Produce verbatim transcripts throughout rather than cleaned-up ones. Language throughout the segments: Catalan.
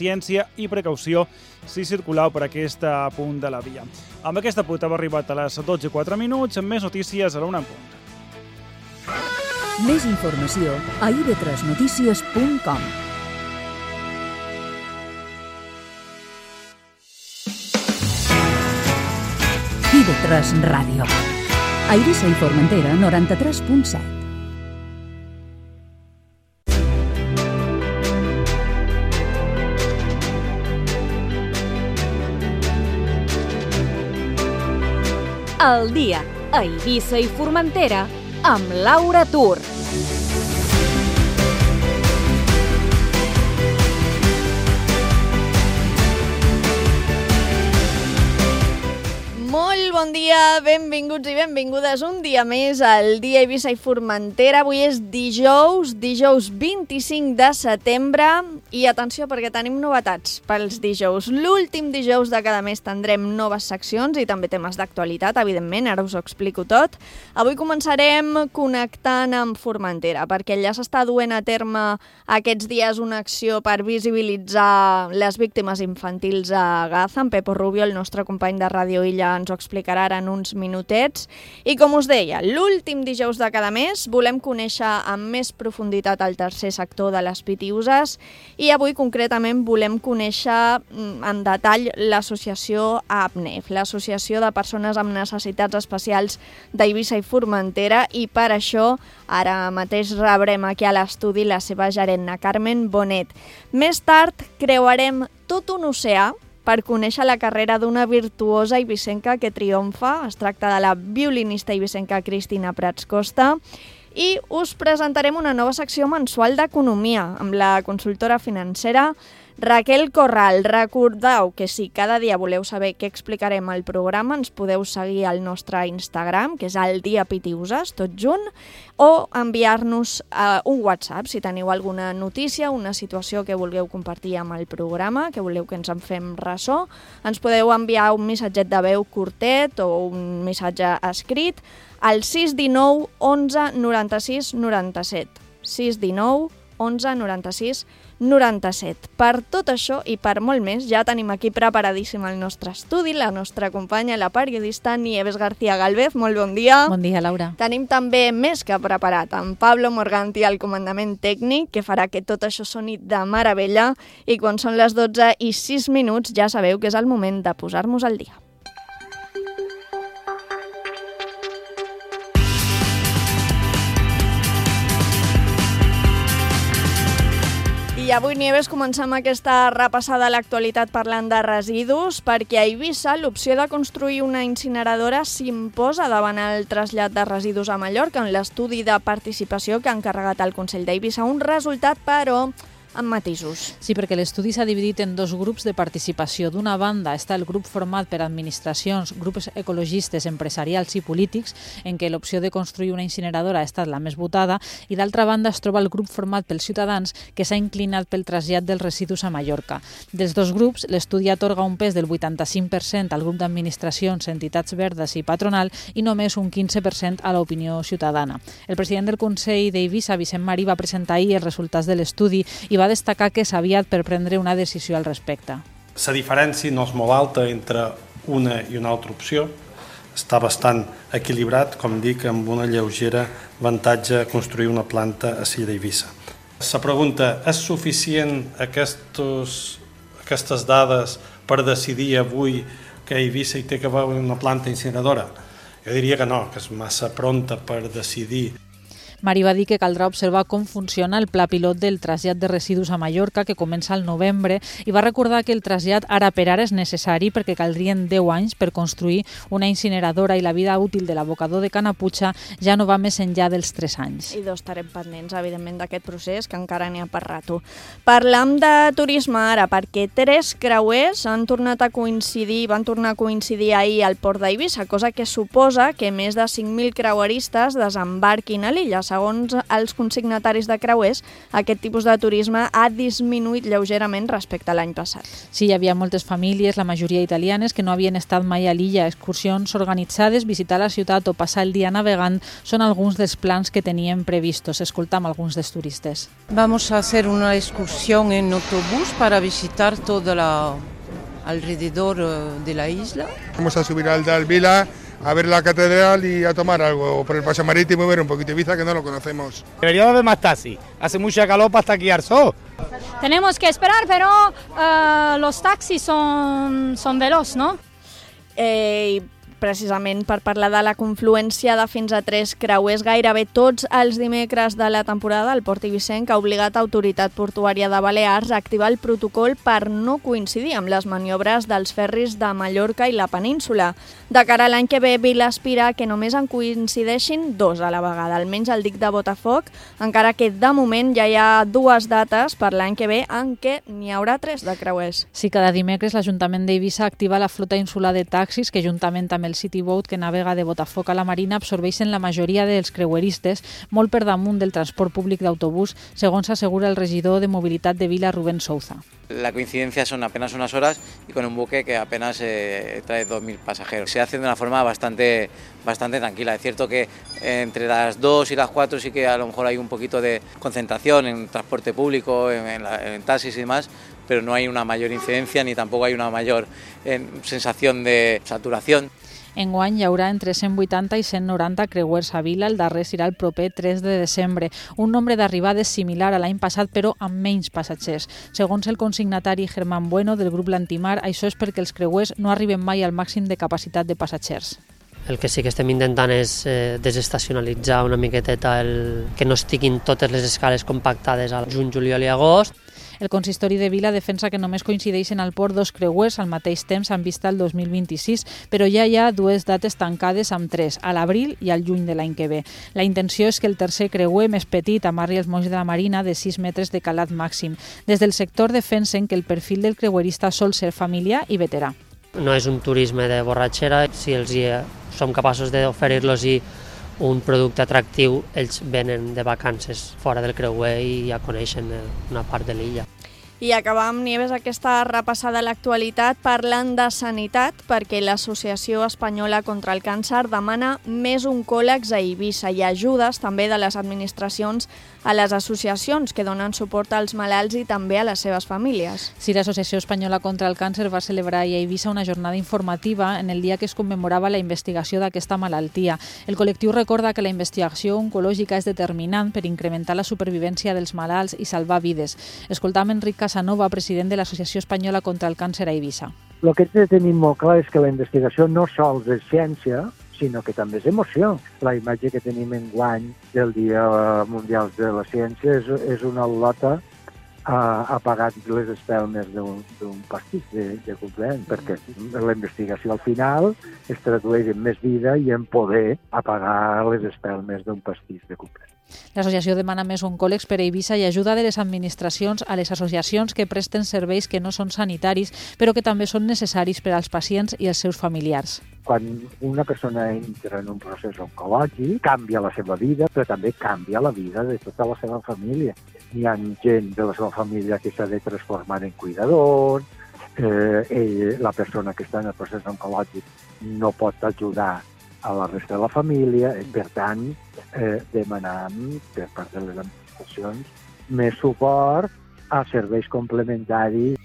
paciència i precaució si circuleu per aquest punt de la via. Amb aquesta punt hem arribat a les dotze i quatre minuts, amb més notícies a la una en punt. Més informació a i ve tres notícies punt com. i ve tres Ràdio. A Eivissa i Formentera, noranta-tres punt set. El dia a Eivissa i Formentera amb Laura Tur. Molt bon dia, benvinguts i benvingudes un dia més al dia Eivissa i Formentera. Avui és dijous, dijous vint-i-cinc de setembre i atenció perquè tenim novetats pels dijous. L'últim dijous de cada mes tindrem noves seccions i també temes d'actualitat, evidentment, ara us ho explico tot. Avui començarem connectant amb Formentera perquè ja s'està duent a terme aquests dies una acció per visibilitzar les víctimes infantils a Gaza. En Pepo Rubio, el nostre company de Ràdio Illa, ens ho explicarà ara en uns minutets. I com us deia, l'últim dijous de cada mes volem conèixer amb més profunditat el tercer sector de les Pitiüses i avui concretament volem conèixer en detall l'associació A P N E F, l'Associació de Persones amb Necessitats Especials d'Eivissa i Formentera, i per això ara mateix rebrem aquí a l'estudi la seva gerent, Carmen Bonet. Més tard creuarem tot un oceà per conèixer la carrera d'una virtuosa eivissenca que triomfa. Es tracta de la violinista eivissenca Cristina Prats Costa. I us presentarem una nova secció mensual d'economia amb la consultora financera Raquel Corral. Recordeu que si cada dia voleu saber què explicarem al programa, ens podeu seguir al nostre Instagram, que és el dia Pitiüses, tot junt, o enviar-nos uh, un WhatsApp si teniu alguna notícia, una situació que vulgueu compartir amb el programa, que voleu que ens en fem ressò. Ens podeu enviar un missatget de veu curtet o un missatge escrit al sis uno nou onze noranta-sis noranta-set. sis uno nou onze noranta-sis noranta-set. Per tot això i per molt més, ja tenim aquí preparadíssim el nostre estudi, la nostra companya, la periodista Nieves García Galvez. Molt bon dia. Bon dia, Laura. Tenim també més que preparat en Pablo Morganti al comandament tècnic, que farà que tot això soni de meravella, i quan són les dotze i sis minuts ja sabeu que és el moment de posar-nos al dia. I avui, Nieves, comencem aquesta repassada a l'actualitat parlant de residus, perquè a Eivissa l'opció de construir una incineradora s'imposa davant el trasllat de residus a Mallorca en l'estudi de participació que ha encarregat el Consell d'Eivissa. Un resultat, però, amb matisos. Sí, perquè l'estudi s'ha dividit en dos grups de participació. D'una banda està el grup format per administracions, grups ecologistes, empresarials i polítics, en què l'opció de construir una incineradora ha estat la més votada, i d'altra banda es troba el grup format pels ciutadans, que s'ha inclinat pel trasllat dels residus a Mallorca. Dels dos grups, l'estudi atorga un pes del vuitanta-cinc per cent al grup d'administracions, entitats verdes i patronal, i només un quinze per cent a l'opinió ciutadana. El president del Consell d'Eivissa, Vicent Marí, va presentar ahir els resultats de l'estudi i va destacar que és aviat per prendre una decisió al respecte. La diferència no és molt alta entre una i una altra opció. Està bastant equilibrat, com dic, amb una lleugera avantatge construir una planta a Silla d'Eivissa. La pregunta, és suficient aquestos, aquestes dades per decidir avui que a Eivissa hi té que haver una planta incineradora? Jo diria que no, que és massa pronta per decidir. Marí va dir que caldrà observar com funciona el pla pilot del trasllat de residus a Mallorca, que comença al novembre, i va recordar que el trasllat ara per ara és necessari perquè caldrien deu anys per construir una incineradora i la vida útil de l'abocador de Canaputxa ja no va més enllà dels tres anys. I dos estarem pendents, evidentment, d'aquest procés, que encara n'hi ha per rato. Parlam de turisme ara, perquè tres creuers han tornat a coincidir, van tornar a coincidir ahir al port d'Eivissa, cosa que suposa que més de cinc mil creueristes desembarquin a l'illa. Segons els consignataris de creuers, aquest tipus de turisme ha disminuït lleugerament respecte a l'any passat. Sí, hi havia moltes famílies, la majoria italianes, que no havien estat mai a l'illa. Excursions organitzades, visitar la ciutat o passar el dia navegant són alguns dels plans que teníem previstos. Escoltam alguns dels turistes. Vamos a hacer una excursión en autobús para visitar todo la... alrededor de la isla. Vamos a subir al Dal Vila, a ver la catedral y a tomar algo por el paseo marítimo y ver un poquito Ibiza, que no lo conocemos. Debería haber más taxis. Hace mucha calor para esquiar sol. Tenemos que esperar, pero uh, los taxis son, son veloz, ¿no? Eh, precisament per parlar de la confluència de fins a tres creuers gairebé tots els dimecres de la temporada, el Port Eivissenc ha obligat l'Autoritat Portuària de Balears a activar el protocol per no coincidir amb les maniobres dels ferris de Mallorca i la península. De cara a l'any que ve, Vila aspira que només en coincideixin dos a la vegada, almenys el dic de Botafoc, encara que de moment ja hi ha dues dates per l'any que ve en què n'hi haurà tres de creuers. Sí, cada dimecres l'Ajuntament d'Eivissa activa la flota insular de taxis que, juntament amb el City Boat que navega de Botafoc a la Marina, absorbeixen la majoria dels creueristes, molt per damunt del transport públic d'autobús, segons assegura el regidor de Mobilitat de Vila, Rubén Souza. La coincidencia son apenas unas horas y con un buque que apenas eh, trae dos mil pasajeros. Se hace de una forma bastante, bastante tranquila. Es cierto que entre las dos y las cuatro sí que a lo mejor hay un poquito de concentración en transporte público, en, en, la, en taxis y demás, pero no hay una mayor incidencia ni tampoco hay una mayor eh, sensación de saturación. Enguany hi haurà entre cent vuitanta i cent noranta creuers a Vila, el darrer serà el proper tres de desembre. Un nombre d'arribades similar a l'any passat, però amb menys passatgers. Segons el consignatari Germán Bueno del grup Lantimar, això és perquè els creuers no arriben mai al màxim de capacitat de passatgers. El que sí que estem intentant és eh, desestacionalitzar una miqueteta, el, que no estiguin totes les escales compactades al juny, juliol i agost. El consistori de Vila defensa que només coincideixen al port dos creuers al mateix temps en vista al dos mil vint-i-sis, però ja hi ha dues dates tancades amb tres, a l'abril i al juny de l'any que ve. La intenció és que el tercer creuer més petit amarri els molls de la Marina de sis metres de calat màxim. Des del sector defensen que el perfil del creuerista sol ser familiar i veterà. No és un turisme de borratxera, si els hi, som capaços d'oferir-los un producte atractiu, ells venen de vacances fora del creuer i ja coneixen una part de l'illa. I acabam, Nieves, aquesta repassada a l'actualitat parlant de sanitat, perquè l'Associació Espanyola contra el Càncer demana més oncòlegs a Eivissa i ajudes també de les administracions a les associacions que donen suport als malalts i també a les seves famílies. Sí, l'Associació Espanyola contra el Càncer va celebrar a Eivissa una jornada informativa en el dia que es commemorava la investigació d'aquesta malaltia. El col·lectiu recorda que la investigació oncològica és determinant per incrementar la supervivència dels malalts i salvar vides. Escoltam Enric Casanova, president de l'Associació Espanyola contra el Càncer a Eivissa. El que he de tenir molt clar és que la investigació no sols és ciència, sinó que també és emoció. La imatge que tenim enguany del Dia Mundial de la Ciència és, és una lota ha, ha pagat les espelmes d'un pastís de, de cumpleaños, perquè la investigació al final es tradueix en més vida i en poder apagar les espelmes d'un pastís de cumpleaños. L'associació demana més oncòlegs per a Eivissa i ajuda de les administracions a les associacions que presten serveis que no són sanitaris, però que també són necessaris per als pacients i els seus familiars. Quan una persona entra en un procés oncològic, canvia la seva vida, però també canvia la vida de tota la seva família. Hi ha gent de la seva família que s'ha de transformar en cuidador, eh, ell, la persona que està en el procés oncològic no pot ajudar a la resta de la família, i per tant eh, demanem per part de les administracions més suport a serveis complementaris.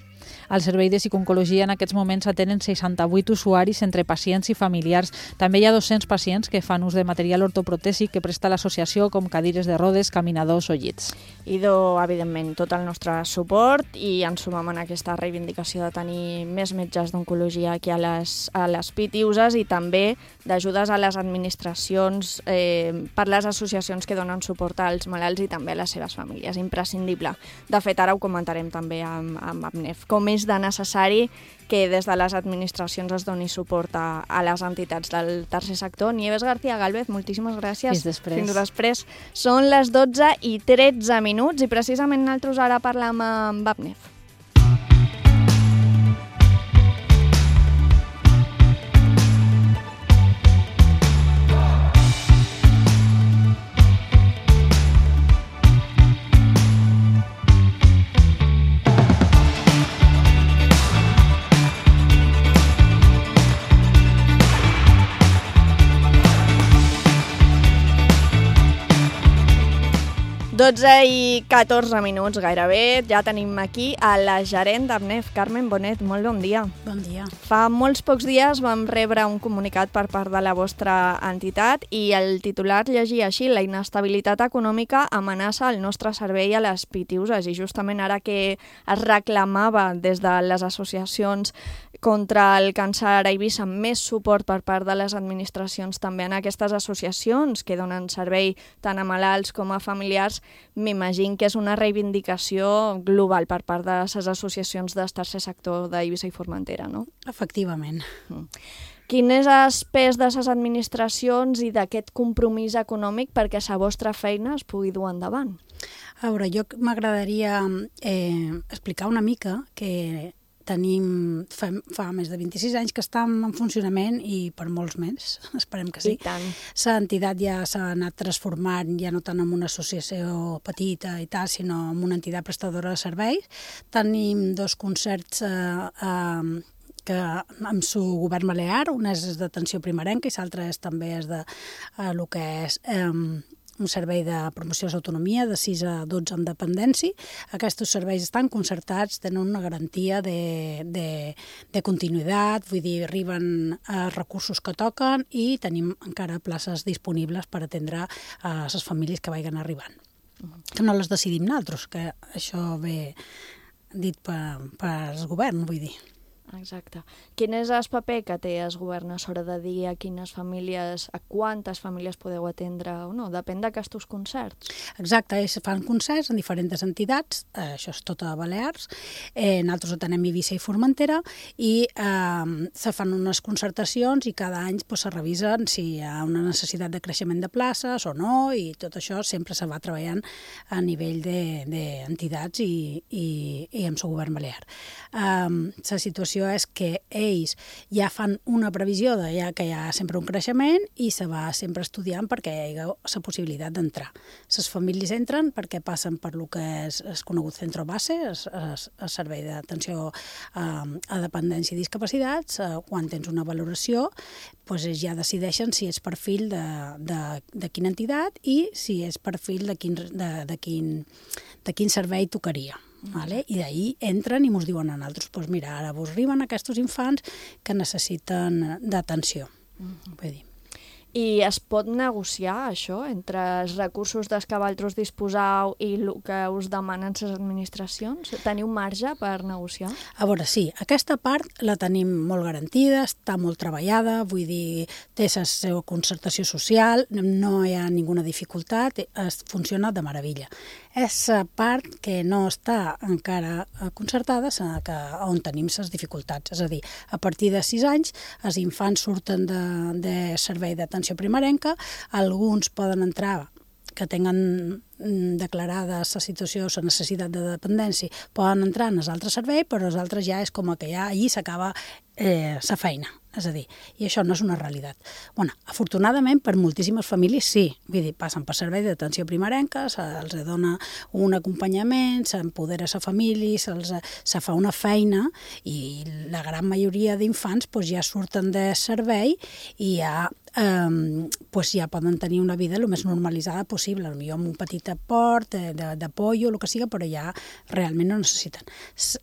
Al servei de psicooncologia en aquests moments atenen seixanta-vuit usuaris entre pacients i familiars. També hi ha dos-cents pacients que fan ús de material ortoprotèsic que presta l'associació, com cadires de rodes, caminadors o llits. Idò, evidentment, tot el nostre suport i ens sumem en aquesta reivindicació de tenir més metges d'oncologia aquí a les, a les P I T I uses i també d'ajudes a les administracions eh, per les associacions que donen suport als malalts i també a les seves famílies. Imprescindible. De fet, ara ho comentarem també amb, amb Abnef. Com és de necessari que des de les administracions es doni suport a, a les entitats del tercer sector. Nieves García Gálvez, moltíssimes gràcies. Fins després. Fins després. Són les dotze i tretze minuts i precisament nosaltres ara parlam amb Abnef. dotze i catorze minuts gairebé, ja tenim aquí a la gerent d'Amnef, Carmen Bonet. Molt bon dia. Bon dia. Fa molts pocs dies vam rebre un comunicat per part de la vostra entitat i el titular llegia així: la inestabilitat econòmica amenaça el nostre servei a les Pitiuses, i justament ara que es reclamava des de les associacions contra el càncer a Eivissa més suport per part de les administracions també en aquestes associacions que donen servei tant a malalts com a familiars, m'imagino que és una reivindicació global per part de les associacions del tercer sector d'Eivissa i Formentera, no? Efectivament. Mm. Quin és el pes de les administracions i d'aquest compromís econòmic perquè la vostra feina es pugui dur endavant? A veure, jo m'agradaria eh, explicar una mica que tenim, fa, fa més de vint-i-sis anys que estem en funcionament i per molts més, esperem que sí. I tant. L'entitat ja s'ha anat transformant, ja no tant en una associació petita i tal, sinó en una entitat prestadora de serveis. Tenim dos concerts eh, eh, que amb su govern balear, un és d'atenció primerenca i l'altre és també és de eh, el que és eh, un servei de promoció d'autonomia de sis a dotze en dependència. Aquests serveis estan concertats, tenen una garantia de, de, de continuïtat, vull dir, arriben a recursos que toquen i tenim encara places disponibles per atendre a les famílies que vagin arribant. Que no les decidim nosaltres, que això ve dit per, per el govern, vull dir. Exacte. Quin és el paper que té el govern a l'hora de dir a quines famílies, a quantes famílies podeu atendre o no? Depèn d'aquests concerts. Exacte, es fan concerts en diferents entitats, eh, això és tot a Balears, eh, nosaltres atenem Eivissa i Formentera i eh, se fan unes concertacions i cada any pues, se revisen si hi ha una necessitat de creixement de places o no, i tot això sempre se va treballant a nivell d'entitats de, i, i, i amb el govern balear. Eh, la situació és que ells ja fan una previsió de ja que hi ha sempre un creixement i se va sempre estudiant perquè hi ha la possibilitat d'entrar. Les famílies entren perquè passen per lo que és el conegut centre base, el servei d'atenció a dependència i discapacitats. Quan tens una valoració, doncs ja decideixen si és perfil de, de, de quina entitat i si és perfil de quin, de, de quin, de quin servei tocaria. Vale? I d'ahir entren i ens diuen a nosaltres, doncs mira, ara vos arriben aquests infants que necessiten d'atenció. Mm-hmm. Vull dir. I es pot negociar això entre els recursos dels que vosaltres disposeu i el que us demanen les administracions? Teniu marge per negociar? A veure, sí, aquesta part la tenim molt garantida, està molt treballada, vull dir, té la seva concertació social, no hi ha ninguna dificultat, es funciona de meravella. És la part que no està encara concertada, que, on tenim les dificultats. És a dir, a partir de sis anys, els infants surten de, de servei d'atenció primerenca, alguns poden entrar que tenen declarada la situació, la necessitat de dependència, poden entrar en els altres serveis, però els altres ja és com que ja allí s'acaba eh, la feina. És a dir, i això no és una realitat. Bueno, afortunadament, per moltíssimes famílies sí, vull dir, passen per servei d'atenció primerenca, se'ls dona un acompanyament, s'empodera la família, se'ls se fa una feina i la gran majoria d'infants pues, ja surten de servei i ja, eh, pues, ja poden tenir una vida el més normalitzada possible, potser amb un petit aport de, de, de pollo, el que sigui, però ja realment no necessiten.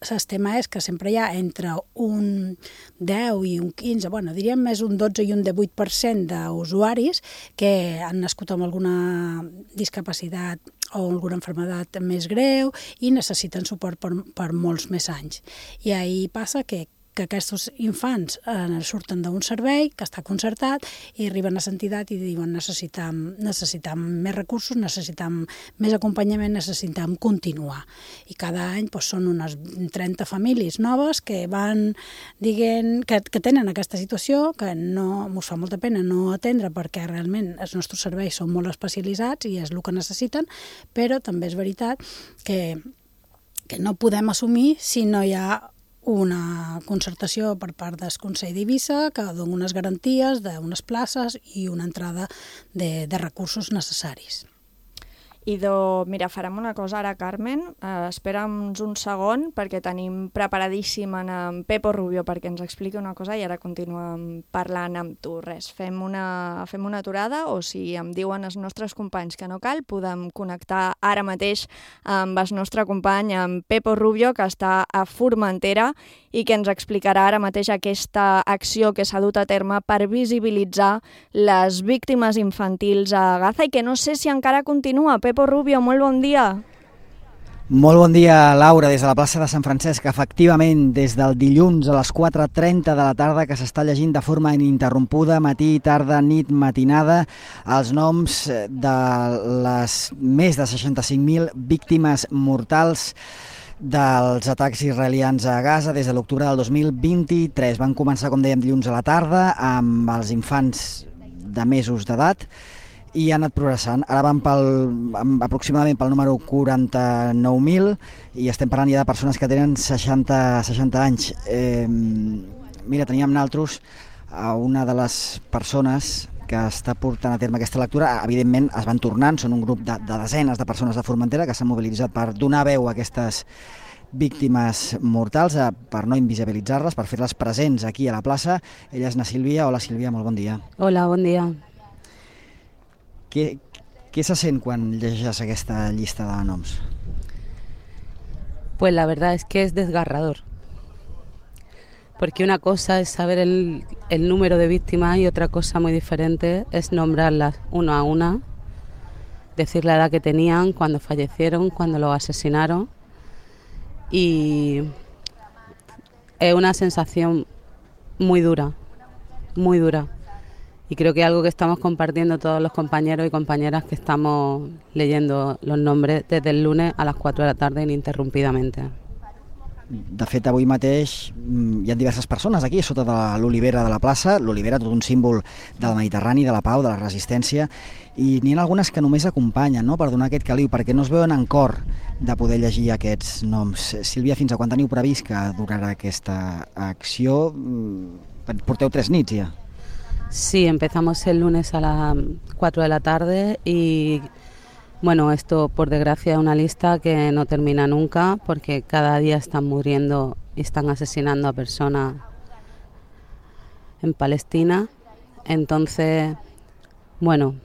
El tema és que sempre hi ha entre un deu i un quinze, bueno, diríem més un dotze i un divuit per cent d'usuaris que han nascut amb alguna discapacitat o alguna malaltia més greu i necessiten suport per, per molts més anys. I ahir passa que que aquests infants eh, surten d'un servei que està concertat i arriben a l'entitat i diuen necessitam, necessitam més recursos, necessitam més acompanyament, necessitam continuar. I cada any doncs, són unes trenta famílies noves que van dient que, que tenen aquesta situació, que no ens fa molta pena no atendre perquè realment els nostres serveis són molt especialitzats i és el que necessiten, però també és veritat que, que no podem assumir si no hi ha una concertació per part del Consell d'Eivissa que dona unes garanties d'unes places i una entrada de, de recursos necessaris. Idò, mira, farem una cosa ara, Carmen, uh, espera'ns un segon perquè tenim preparadíssim en, en Pepo Rubio perquè ens expliqui una cosa i ara continuem parlant amb tu. Res, fem una, fem una aturada o si em diuen els nostres companys que no cal, podem connectar ara mateix amb el nostre company, amb Pepo Rubio, que està a Formentera i que ens explicarà ara mateix aquesta acció que s'ha dut a terme per visibilitzar les víctimes infantils a Gaza i que no sé si encara continua. Pepo Rubio, molt bon dia. Molt bon dia, Laura, des de la plaça de Sant Francesc. Efectivament, des del dilluns a les quatre trenta de la tarda que s'està llegint de forma ininterrompuda, matí, tarda, nit, matinada, els noms de les més de seixanta-cinc mil víctimes mortals dels atacs israelians a Gaza des de l'octubre del dos mil vint-i-tres. Van començar, com dèiem, dilluns a la tarda amb els infants de mesos d'edat i han anat progressant. Ara van pel, aproximadament pel número quaranta-nou mil i estem parlant ja de persones que tenen seixanta, seixanta anys. Eh, mira, teníem naltros a una de les persones que està portant a terme aquesta lectura. Evidentment es van tornant, són un grup de, de desenes de persones de Formentera que s'han mobilitzat per donar veu a aquestes víctimes mortals, per no invisibilitzar-les, per fer-les presents aquí a la plaça. Ella és na Sílvia. Hola, Sílvia, molt bon dia. Hola, bon dia. Què, què se sent quan llegeixes aquesta llista de noms? Pues la verdad es que es desgarrador. Porque una cosa es saber el, el número de víctimas y otra cosa muy diferente es nombrarlas una a una, decir la edad que tenían, cuando fallecieron, cuando los asesinaron. Y es una sensación muy dura, muy dura. Y creo que es algo que estamos compartiendo todos los compañeros y compañeras que estamos leyendo los nombres desde el lunes a las quatre de la tarde ininterrumpidamente. De fet, avui mateix hi ha diverses persones aquí, sota de l'olivera de la plaça, l'olivera, tot un símbol del Mediterrani, de la pau, de la resistència, i n'hi ha algunes que només acompanyen, no?, per donar aquest caliu, perquè no es veuen en cor de poder llegir aquests noms. Sílvia, fins a quan teniu previst que durarà aquesta acció? Porteu tres nits ja. Sí, empezamos el lunes a las cuatro de la tarde y bueno, esto por desgracia es una lista que no termina nunca porque cada día están muriendo y están asesinando a personas en Palestina. Entonces, bueno,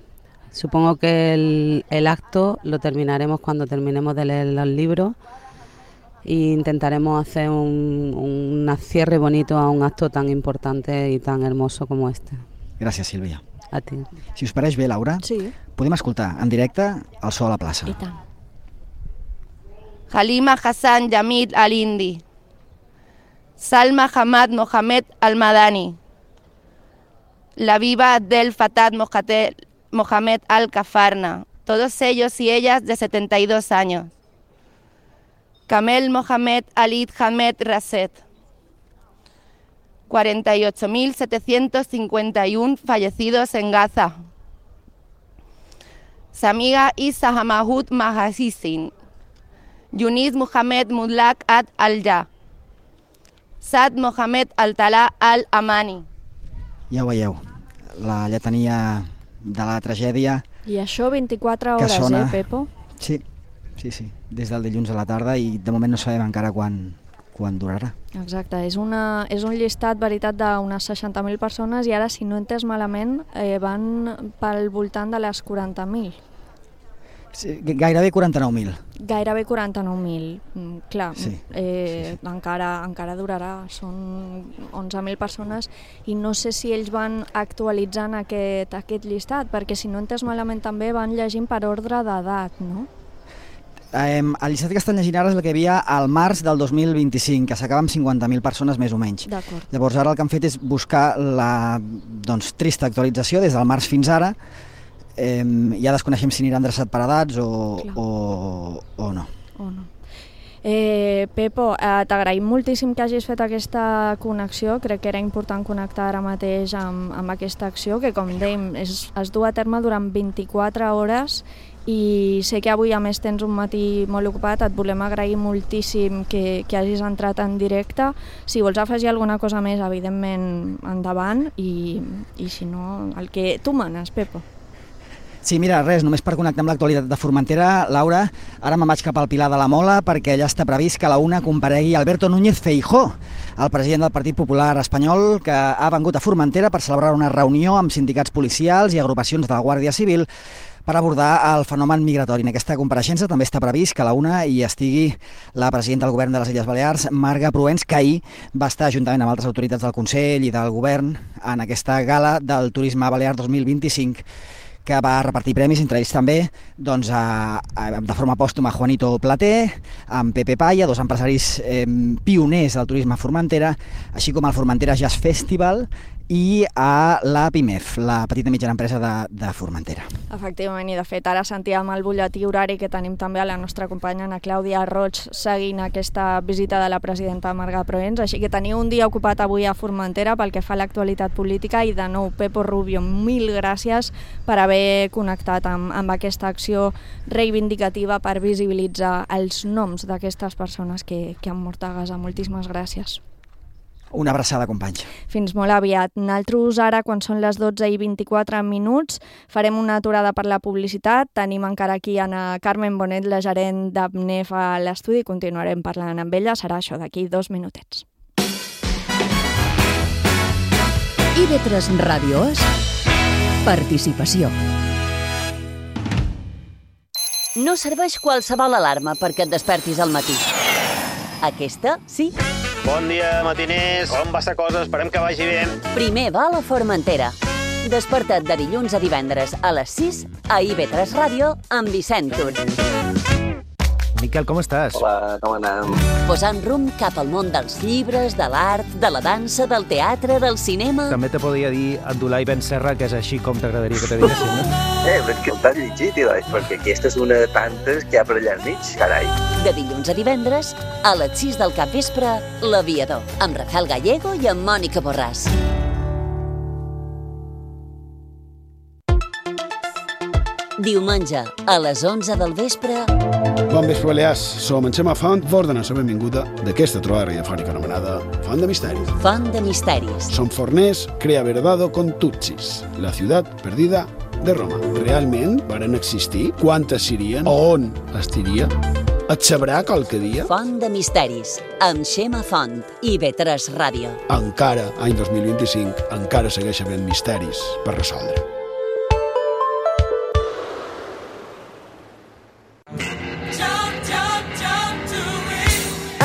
supongo que el, el acto lo terminaremos cuando terminemos de leer los libros e intentaremos hacer un, un cierre bonito a un acto tan importante y tan hermoso como este. Gràcies, Sílvia. A ti. Si us pareix bé, Laura, sí. Podem escoltar en directe el so a la plaça. I tant. Halima Hassan Yamid Al-Hindi, Salma Hamad Mohamed Al-Madani, Labiba Abdel Fattah Mohamed Al-Kafarna, todos ellos y ellas de setenta y dos años. Kamel Mohamed Alid Hamed Raset, cuarenta y ocho mil setecientos cincuenta y uno fallecidos en Gaza. Samiga Isa Hamahud Mahasisin, Yunis Mohamed Mulak Ad Al-Ja, Sad Mohamed Al-Tala Al-Amani. Ja ho veieu, la lletania de la tragèdia. I això vint-i-quatre hores, sona... eh, Pepo? Sí, sí, sí, des del dilluns a la tarda i de moment no sabem encara quan, quan durarà. Exacte, és, una, és un llistat, veritat, d'unes seixanta mil persones i ara, si no he entès malament, eh, van pel voltant de les quaranta mil. Sí, gairebé quaranta-nou mil. Gairebé quaranta-nou mil, mm, clar, sí, eh, sí, sí. Encara, encara durarà, són onze mil persones i no sé si ells van actualitzant aquest, aquest llistat, perquè si no he entès malament també van llegint per ordre d'edat, no? Eh, el llistat que estan llegint ara és el que hi havia al març del dos mil vint-i-cinc, que s'acaba amb cinquanta mil persones més o menys. Llavors ara el que han fet és buscar la doncs, trista actualització des del març fins ara. Eh, ja desconeixem si anirà endreçat per edats o, o, o no. O no. Eh, Pepo, eh, t'agraïm moltíssim que hagis fet aquesta connexió. Crec que era important connectar ara mateix amb, amb aquesta acció, que com dèiem es, es du a terme durant vint-i-quatre hores i sé que avui a més tens un matí molt ocupat. Et volem agrair moltíssim que, que hagis entrat en directe. Si vols afegir alguna cosa més, evidentment endavant, i, i si no, el que tu manes, Pepo. Sí, mira, res, només per connectar amb l'actualitat de Formentera, Laura, ara me'n vaig cap al Pilar de la Mola perquè allà està previst que a la una comparegui Alberto Núñez Feijóo, el president del Partit Popular espanyol, que ha vengut a Formentera per celebrar una reunió amb sindicats policials i agrupacions de la Guàrdia Civil per abordar el fenomen migratori. En aquesta compareixença també està previst que a la una hi estigui la presidenta del govern de les Illes Balears, Marga Proens, que ahir va estar juntament amb altres autoritats del Consell i del govern en aquesta gala del Turisme Balear dos mil vint-i-cinc, que va repartir premis, entre ells també, doncs, a, a, de forma pòstuma, Juanito Platé, amb Pepe Paya, dos empresaris eh, pioners del turisme a Formentera, així com el Formentera Jazz Festival i a la PIMEF, la petita i mitjana empresa de, de Formentera. Efectivament, i de fet ara sentíem el butlletí horari que tenim també a la nostra companya Ana Clàudia Roig seguint aquesta visita de la presidenta Marga Proens, així que teniu un dia ocupat avui a Formentera pel que fa a l'actualitat política i de nou, Pepo Rubio, mil gràcies per haver connectat amb, amb aquesta acció reivindicativa per visibilitzar els noms d'aquestes persones que, que han mort a Gaza. Moltíssimes gràcies. Una abraçada, companys. Fins molt aviat. Nosaltres ara, quan són les dotze i vint-i-quatre minuts, farem una aturada per la publicitat. Tenim encara aquí Ana Carmen Bonet, la gerent d'Abnef a l'estudi. Continuarem parlant amb ella. Serà això d'aquí dos minutets. I V tres Ràdio és participació. No serveix qualsevol alarma perquè et despertis al matí. Aquesta, sí. Bon dia, matiners. Com va la cosa? Esperem que vagi bé. Primer va a la Formentera. Desperta't de dilluns a divendres a les sis a I V tres Ràdio amb Vicent Tur. Miquel, com estàs? Hola, com anem? Posant rumb cap al món dels llibres, de l'art, de la dansa, del teatre, del cinema... També te podria dir Abdulai Ben Serra, que és així com t'agradaria que te diguessin, no? Eh, però és que t'has llegit, Ilai, perquè aquesta és una de tantes que hi ha per allà al mig, carai. De dilluns a divendres, a les sis del capvespre, L'Aviador, amb Rafael Gallego i amb Mònica Borràs. Diumenge, a les onze del vespre... Bon vespre, Balears. Som en Xema Font, vos donem la benvinguda d'aquesta trobada radiofònica anomenada Font de Misteris. Font de Misteris. Som forners, crea verdado con Tutsis, la ciutat perdida de Roma. Realment varen existir? Quantes serien? On estiria? Et sabrà qualque dia? Font de Misteris, amb Xema Font i V tres Ràdio. Encara, any dos mil vint-i-cinc, encara segueix havent misteris per resoldre.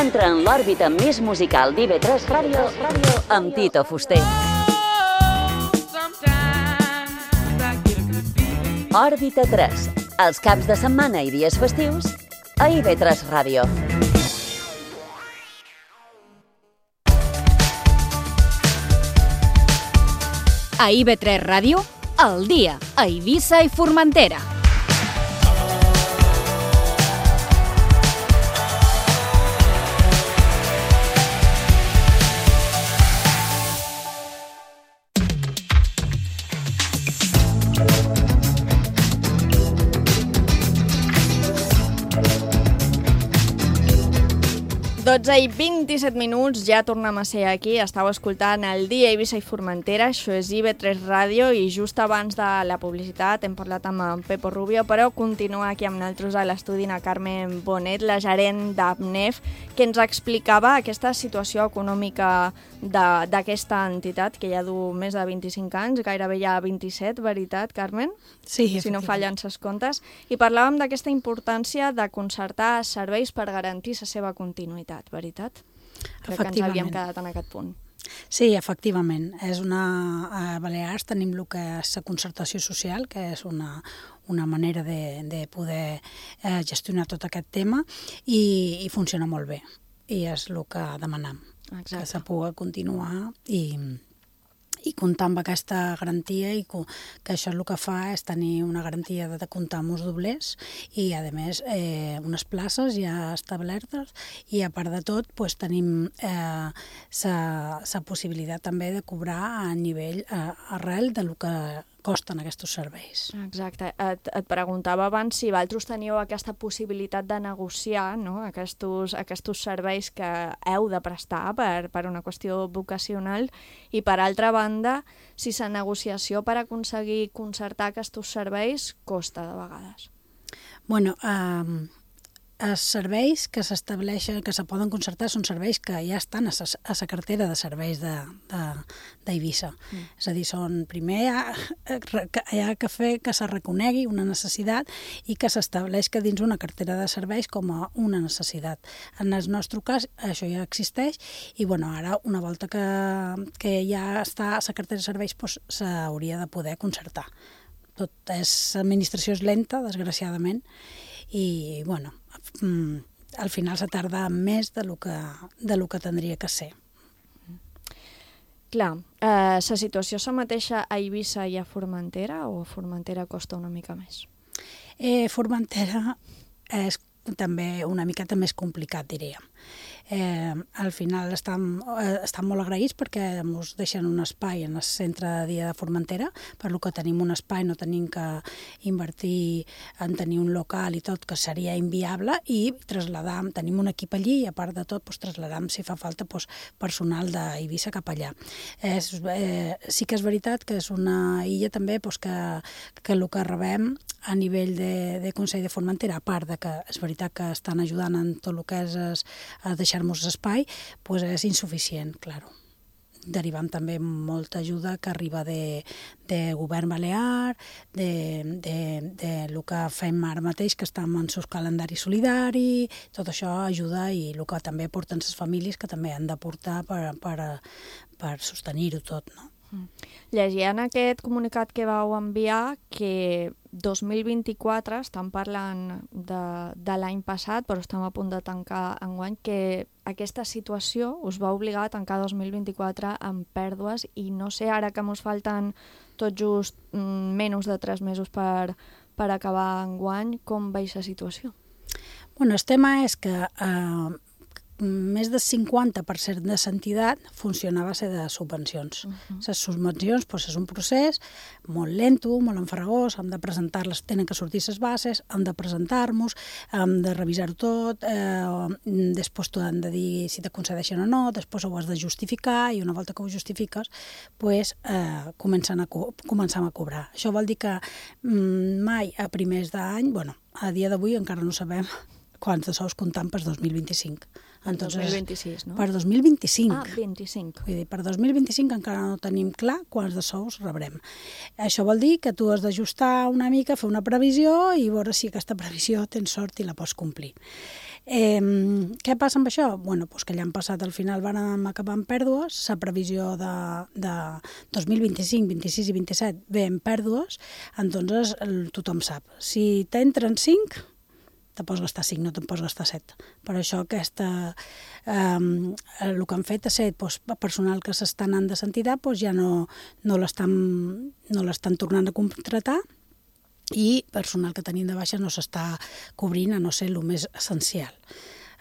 Entra en l'òrbita més musical d'I V tres Ràdio amb Tito Fuster. Òrbita tres, els caps de setmana i dies festius a I V tres Ràdio. A I V tres Ràdio, al dia, a Eivissa i Formentera. dotze i vint-i-set minuts, ja tornem a ser aquí. Estàu escoltant el dia Eivissa i Formentera, això és I V tres Ràdio, i just abans de la publicitat hem parlat amb en Pepo Rubio, però continua aquí amb nosaltres a l'estudi Ana Carmen Bonet, la gerent d'Abnef, que ens explicava aquesta situació econòmica d'aquesta entitat, que ja du més de vint-i-cinc anys, gairebé ja vint-i-set, veritat, Carmen? Sí, si no fallen ses comptes. I parlàvem d'aquesta importància de concertar serveis per garantir la seva continuïtat, veritat? Crec que ens havíem quedat en aquest punt. Sí, efectivament. És una, a Balears tenim el que és la concertació social, que és una, una manera de, de poder eh, gestionar tot aquest tema, i, i funciona molt bé. I és el que demanem, Exacte. Que se pugui continuar i... i comptar amb aquesta garantia, i que això el que fa és tenir una garantia de comptar amb uns doblers i, a més, eh, unes places ja establertes, i a part de tot pues, tenim la eh, possibilitat també de cobrar a nivell eh, arrel del que costen aquests serveis. Exacte. Et, et preguntava abans si vosaltres teníeu aquesta possibilitat de negociar, no?, aquests, aquests serveis que heu de prestar per, per una qüestió vocacional, i per altra banda, si la negociació per aconseguir concertar aquests serveis costa de vegades. Bueno, eh, els serveis que s'estableixen, que se poden concertar, són serveis que ja estan a la cartera de serveis d'Eivissa. Mm. És a dir, són, primer hi ha, hi ha que fer que se reconegui una necessitat i que s'estableix que dins una cartera de serveis com a una necessitat. En el nostre cas, això ja existeix i, bueno, ara, una volta que, que ja està a la cartera de serveis, doncs, s'hauria de poder concertar. Tot és, l'administració és lenta, desgraciadament, i, bueno, al final se tarda més de lo que, de lo que tindria que ser. Clar, eh, la situació és la mateixa a Eivissa i a Formentera, o a Formentera costa una mica més? Eh, Formentera és també una miqueta més complicat, diríem. Eh, al final estem, eh, estem molt agraïts perquè ens deixen un espai en el centre de dia de Formentera, per lo que tenim un espai, no tenim que invertir en tenir un local i tot, que seria inviable, i traslladam, tenim un equip allí i a part de tot doncs, traslladam si fa falta doncs, personal d'Eivissa cap allà. És, eh, sí que és veritat que és una illa també doncs, que, que el que rebem a nivell de, de Consell de Formentera, a part de que és veritat que estan ajudant en tot el que és es, a deixar-nos espai, doncs és insuficient, claro. Derivant també molta ajuda que arriba de, de govern balear, de, de, de el que fem ara mateix, que estem en el calendari solidari, tot això ajuda, i el que també aporten les famílies, que també han d'aportar per, per, per sostenir-ho tot, no? Llegia en aquest comunicat que vau enviar que dos mil vint-i-quatre, estan parlant de, de l'any passat, però estem a punt de tancar enguany, que aquesta situació us va obligar a tancar dos mil vint-i-quatre amb pèrdues, i no sé, ara que ens falten tot just mm, menys de tres mesos per, per acabar enguany, com veus la situació? Bueno, el tema és que eh, més del cinquanta per cent de l'entitat funcionava a ser de subvencions. Uh-huh. Les subvencions doncs, és un procés molt lento, molt enfarragós, hem de presentar-les, tenen que sortir les bases, hem de presentar-nos, hem de revisar-ho tot, eh, després t'ho han de dir si te concedeixen o no, després ho has de justificar, i una volta que ho justifiques, pues, eh, comencem, a co- comencem a cobrar. Això vol dir que mm, mai a primers d'any, bueno, a dia d'avui encara no sabem quants de sous comptant per dos mil vint-i-cinc. Entonces, dos mil vint-i-sis, no? Per dos mil vint-i-cinc. Ah, vint-i-cinc. Vull dir, per dos mil vint-i-cinc encara no tenim clar quants de sous rebrem. Això vol dir que tu has d'ajustar una mica, fer una previsió i veure si aquesta previsió tens sort i la pots complir. Eh, què passa amb això? Bueno, doncs que l'any passat al final vam acabar amb pèrdues, la previsió de, de dos mil vint-i-cinc, vint-i-sis i vint-i-set ve en pèrdues, entonces tothom sap. Si t'entren cinc, te pots gastar cinc, no te'n pots gastar set. Per això aquesta, eh, el que han fet és ser doncs, personal que s'estan anant de l'entitat, doncs ja no, no l'estan no l'estan tornant a contractar, i personal que tenim de baixa no s'està cobrint, a no ser el més essencial.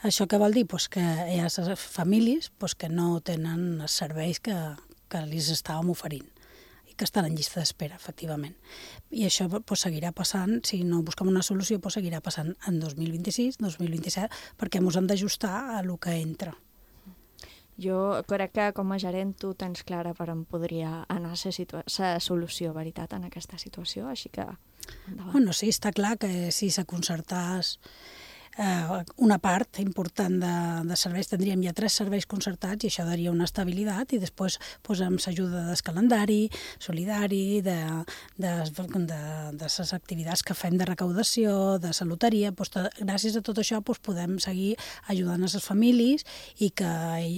Això què vol dir? Pues que hi ha famílies pues, que no tenen els serveis que, que els estàvem oferint, que estan en llista d'espera, efectivament. I això pues, seguirà passant, si no busquem una solució, pues, seguirà passant en dos mil vint-i-sis, dos mil vint-i-set, perquè ens hem d'ajustar a el que entra. Jo crec que com a gerent tu tens clara per on podria anar la situa- la solució, veritat, en aquesta situació, així que endavant. Bueno, sí, està clar que si se concertàs eh, una part important de, de serveis, tindríem ja tres serveis concertats i això daria una estabilitat, i després pues, amb l'ajuda del calendari solidari, de, de, de, de les activitats que fem de recaudació, de la loteria, pues, to, gràcies a tot això pues, podem seguir ajudant a les famílies i que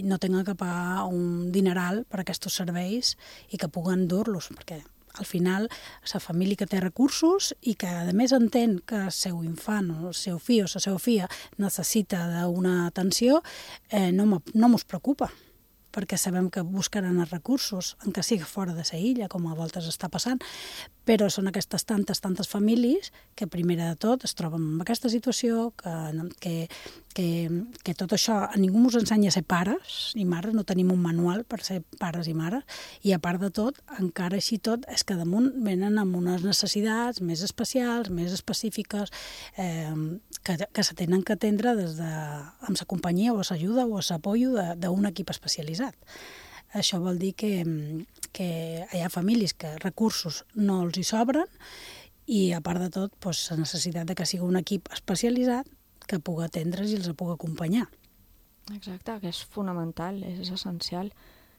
no tinguin que pagar un dineral per aquests serveis i que puguen dur-los, perquè al final, la família que té recursos i que, a més, entén que el seu infant o el seu fill o la seva filla necessita d'una atenció, eh, no mos preocupa. perquè sabem que buscaran els recursos, en què sigui fora de la illa, com a voltes està passant, però són aquestes tantes, tantes famílies que, primera de tot, es troben en aquesta situació, que, que, que, que tot això a ningú ens ensenya a ser pares ni mares, no tenim un manual per ser pares i mares, i a part de tot, encara així tot, és que damunt venen amb unes necessitats més especials, més específiques, eh, que, que se tenen que atendre des de, amb la companyia o l'ajuda o l'apoyo d'un equip especialitzat. Això vol dir que, que hi ha famílies que recursos no els hi sobren i, a part de tot, doncs, la necessitat de que sigui un equip especialitzat que pugui atendre's i els pugui acompanyar. Exacte, que és fonamental, és essencial.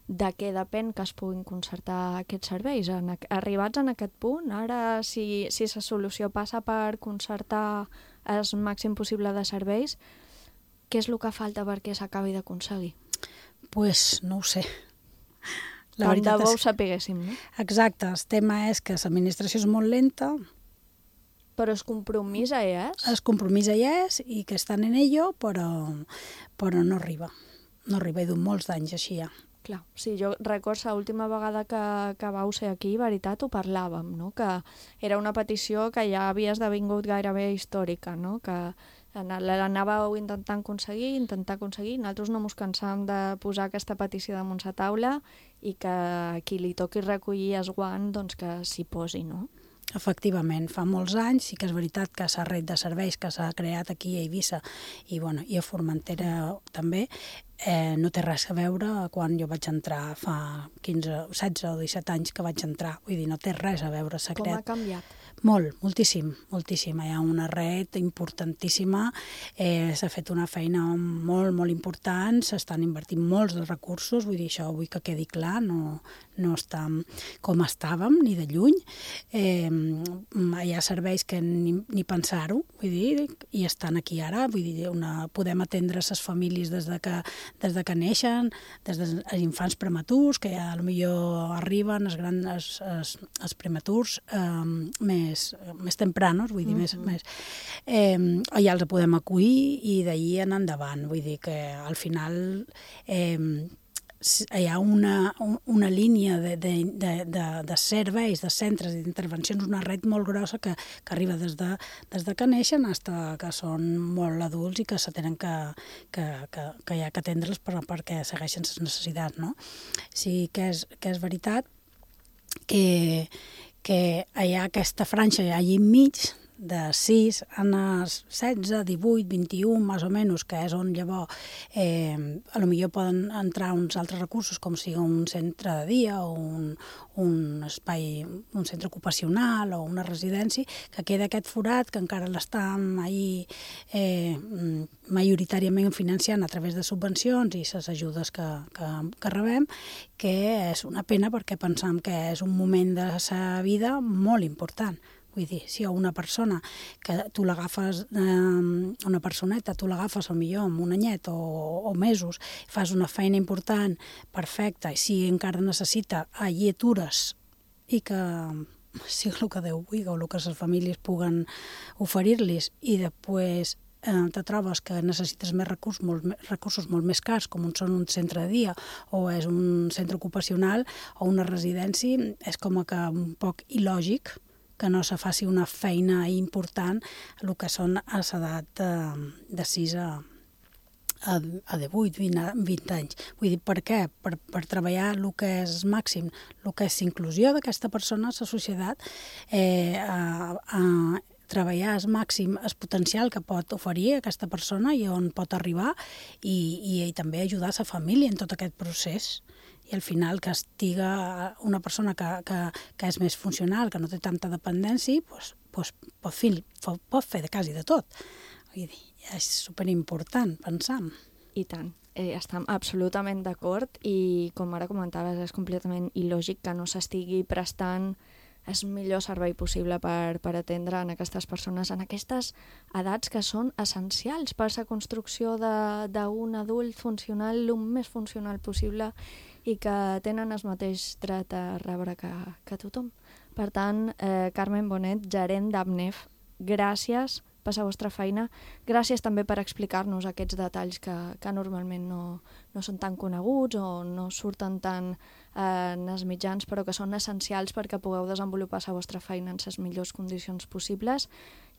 De què depèn que es puguin concertar aquests serveis? En, arribats en aquest punt, ara, si, si la solució passa per concertar el màxim possible de serveis, què és el que falta perquè s'acabi d'aconseguir? Doncs pues, no ho sé. La Tant de bo ho sapiguéssim, no? Exacte, el tema és que l'administració és molt lenta. Però el compromís hi és? El compromís hi és i que estan en ello, però, però no arriba. No arriba, i d'un molts d'anys així ja. Clar, sí, jo recordo l'última vegada que, que vau ser aquí, veritat, ho parlàvem, no? Que era una petició que ja havia esdevingut gairebé històrica, no? Que l'anàveu intentant aconseguir, intentar aconseguir, nosaltres no ens cansàvem de posar aquesta petició damunt la taula i que qui li toqui recollir el guant, doncs que s'hi posi, no? Efectivament, fa molts anys, sí que és veritat que la red de serveis que s'ha creat aquí a Eivissa i, bueno, i a Formentera també, eh, no té res a veure quan jo vaig entrar fa quinze, setze o disset anys que vaig entrar. Vull dir, no té res a veure. S'ha Com creat... ha canviat? Molt, moltíssim, moltíssim. Hi ha una red importantíssima, eh, s'ha fet una feina molt, molt important, s'estan invertint molts de recursos, vull dir, això vull que quedi clar, no, no està com estàvem, ni de lluny. Eh, hi ha serveis que ni, ni pensar-ho, vull dir, i estan aquí ara, vull dir, una, podem atendre les famílies des de que, des de que neixen, des dels infants prematurs, que ja potser arriben els, grans, els, els, els prematurs eh, més Més, més tempranos, vull dir, mm-hmm. més, més eh, ja els podem acollir i d'ahir en endavant, vull dir que al final eh, hi ha una, una línia de, de, de, de, de serveis, de centres d'intervencions, una red molt grossa que, que arriba des de, des de que neixen fins que són molt adults i que se tenen que, que, que, que hi ha que atendre'ls per, perquè segueixen les necessitats, no? Sí que és, que és veritat que que hi ha aquesta franja allà enmig de sis a setze, divuit, vint-i-u, més o menys, que és on llavors eh, a lo millor poden entrar uns altres recursos, com sigui un centre de dia o un, un espai, un centre ocupacional o una residència, que queda aquest forat que encara l'estan ahí eh, majoritàriament financiant a través de subvencions i les ajudes que, que, que rebem, que és una pena perquè pensam que és un moment de la vida molt important. Vull dir, si hi ha una persona que tu l'agafes, eh, una personeta, tu l'agafes potser amb un anyet o, o mesos, fas una feina important, perfecta, i si encara necessita lletures i que sigui el que Déu vulgui o el que les famílies puguen oferir-los, i després eh, te trobes que necessites més recursos, molt, recursos molt més cars, com són un centre de dia o és un centre ocupacional o una residència, és com que un poc il·lògic que no se faci una feina important el que són a l'edat de, de sis a, a, a divuit, vint, vint anys. Vull dir, per què? Per, per treballar el que és màxim, el que és inclusió d'aquesta persona a la societat, eh, a, a treballar al màxim el potencial que pot oferir aquesta persona i on pot arribar i, i, i també ajudar la família en tot aquest procés. I al final que estiga una persona que, que, que és més funcional, que no té tanta dependència, pues, pues pot, fer, pot fer de quasi de tot. Vull dir, és superimportant, pensam. I tant. Eh, estem absolutament d'acord i, com ara comentaves, és completament il·lògic que no s'estigui prestant el millor servei possible per, per atendre en aquestes persones, en aquestes edats que són essencials per la construcció d'un adult funcional el més funcional possible i que tenen el mateix dret a rebre que, que tothom. Per tant, eh, Carmen Bonet, gerent d'AMNEF, gràcies per la vostra feina. Gràcies també per explicar-nos aquests detalls que, que normalment no, no són tan coneguts o no surten tant eh, en els mitjans, però que són essencials perquè pugueu desenvolupar la vostra feina en les millors condicions possibles.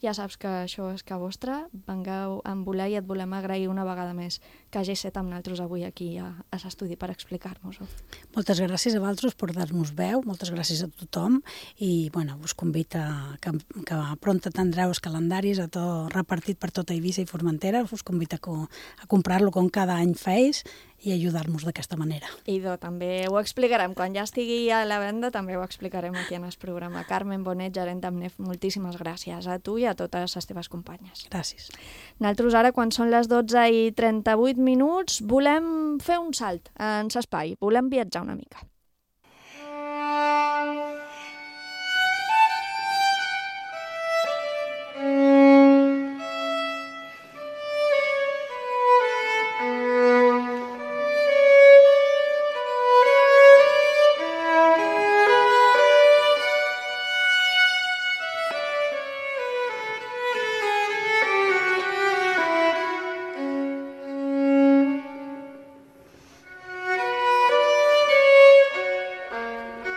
Ja saps que això és que vostra, vengueu amb voler i et volem agrair una vegada més que hagi estat amb nosaltres avui aquí a, a l'estudi per explicar-nos-ho. Moltes gràcies a vosaltres per dar-nos veu, moltes gràcies a tothom i bueno, us convido a que, que pronta tindreu els calendaris a tot, repartit per tota Eivissa i Formentera, us convido a, a comprar-lo com cada any feis i ajudar-nos d'aquesta manera. I do, també ho explicarem, quan ja estigui a la venda també ho explicarem aquí en el programa. Carmen Bonet, gerent d'Amnef, moltíssimes gràcies a tu i a totes les teves companyes. Gràcies. Nosaltres ara, quan són les dotze i trenta-vuit minuts, volem fer un salt en l'espai, volem viatjar una mica.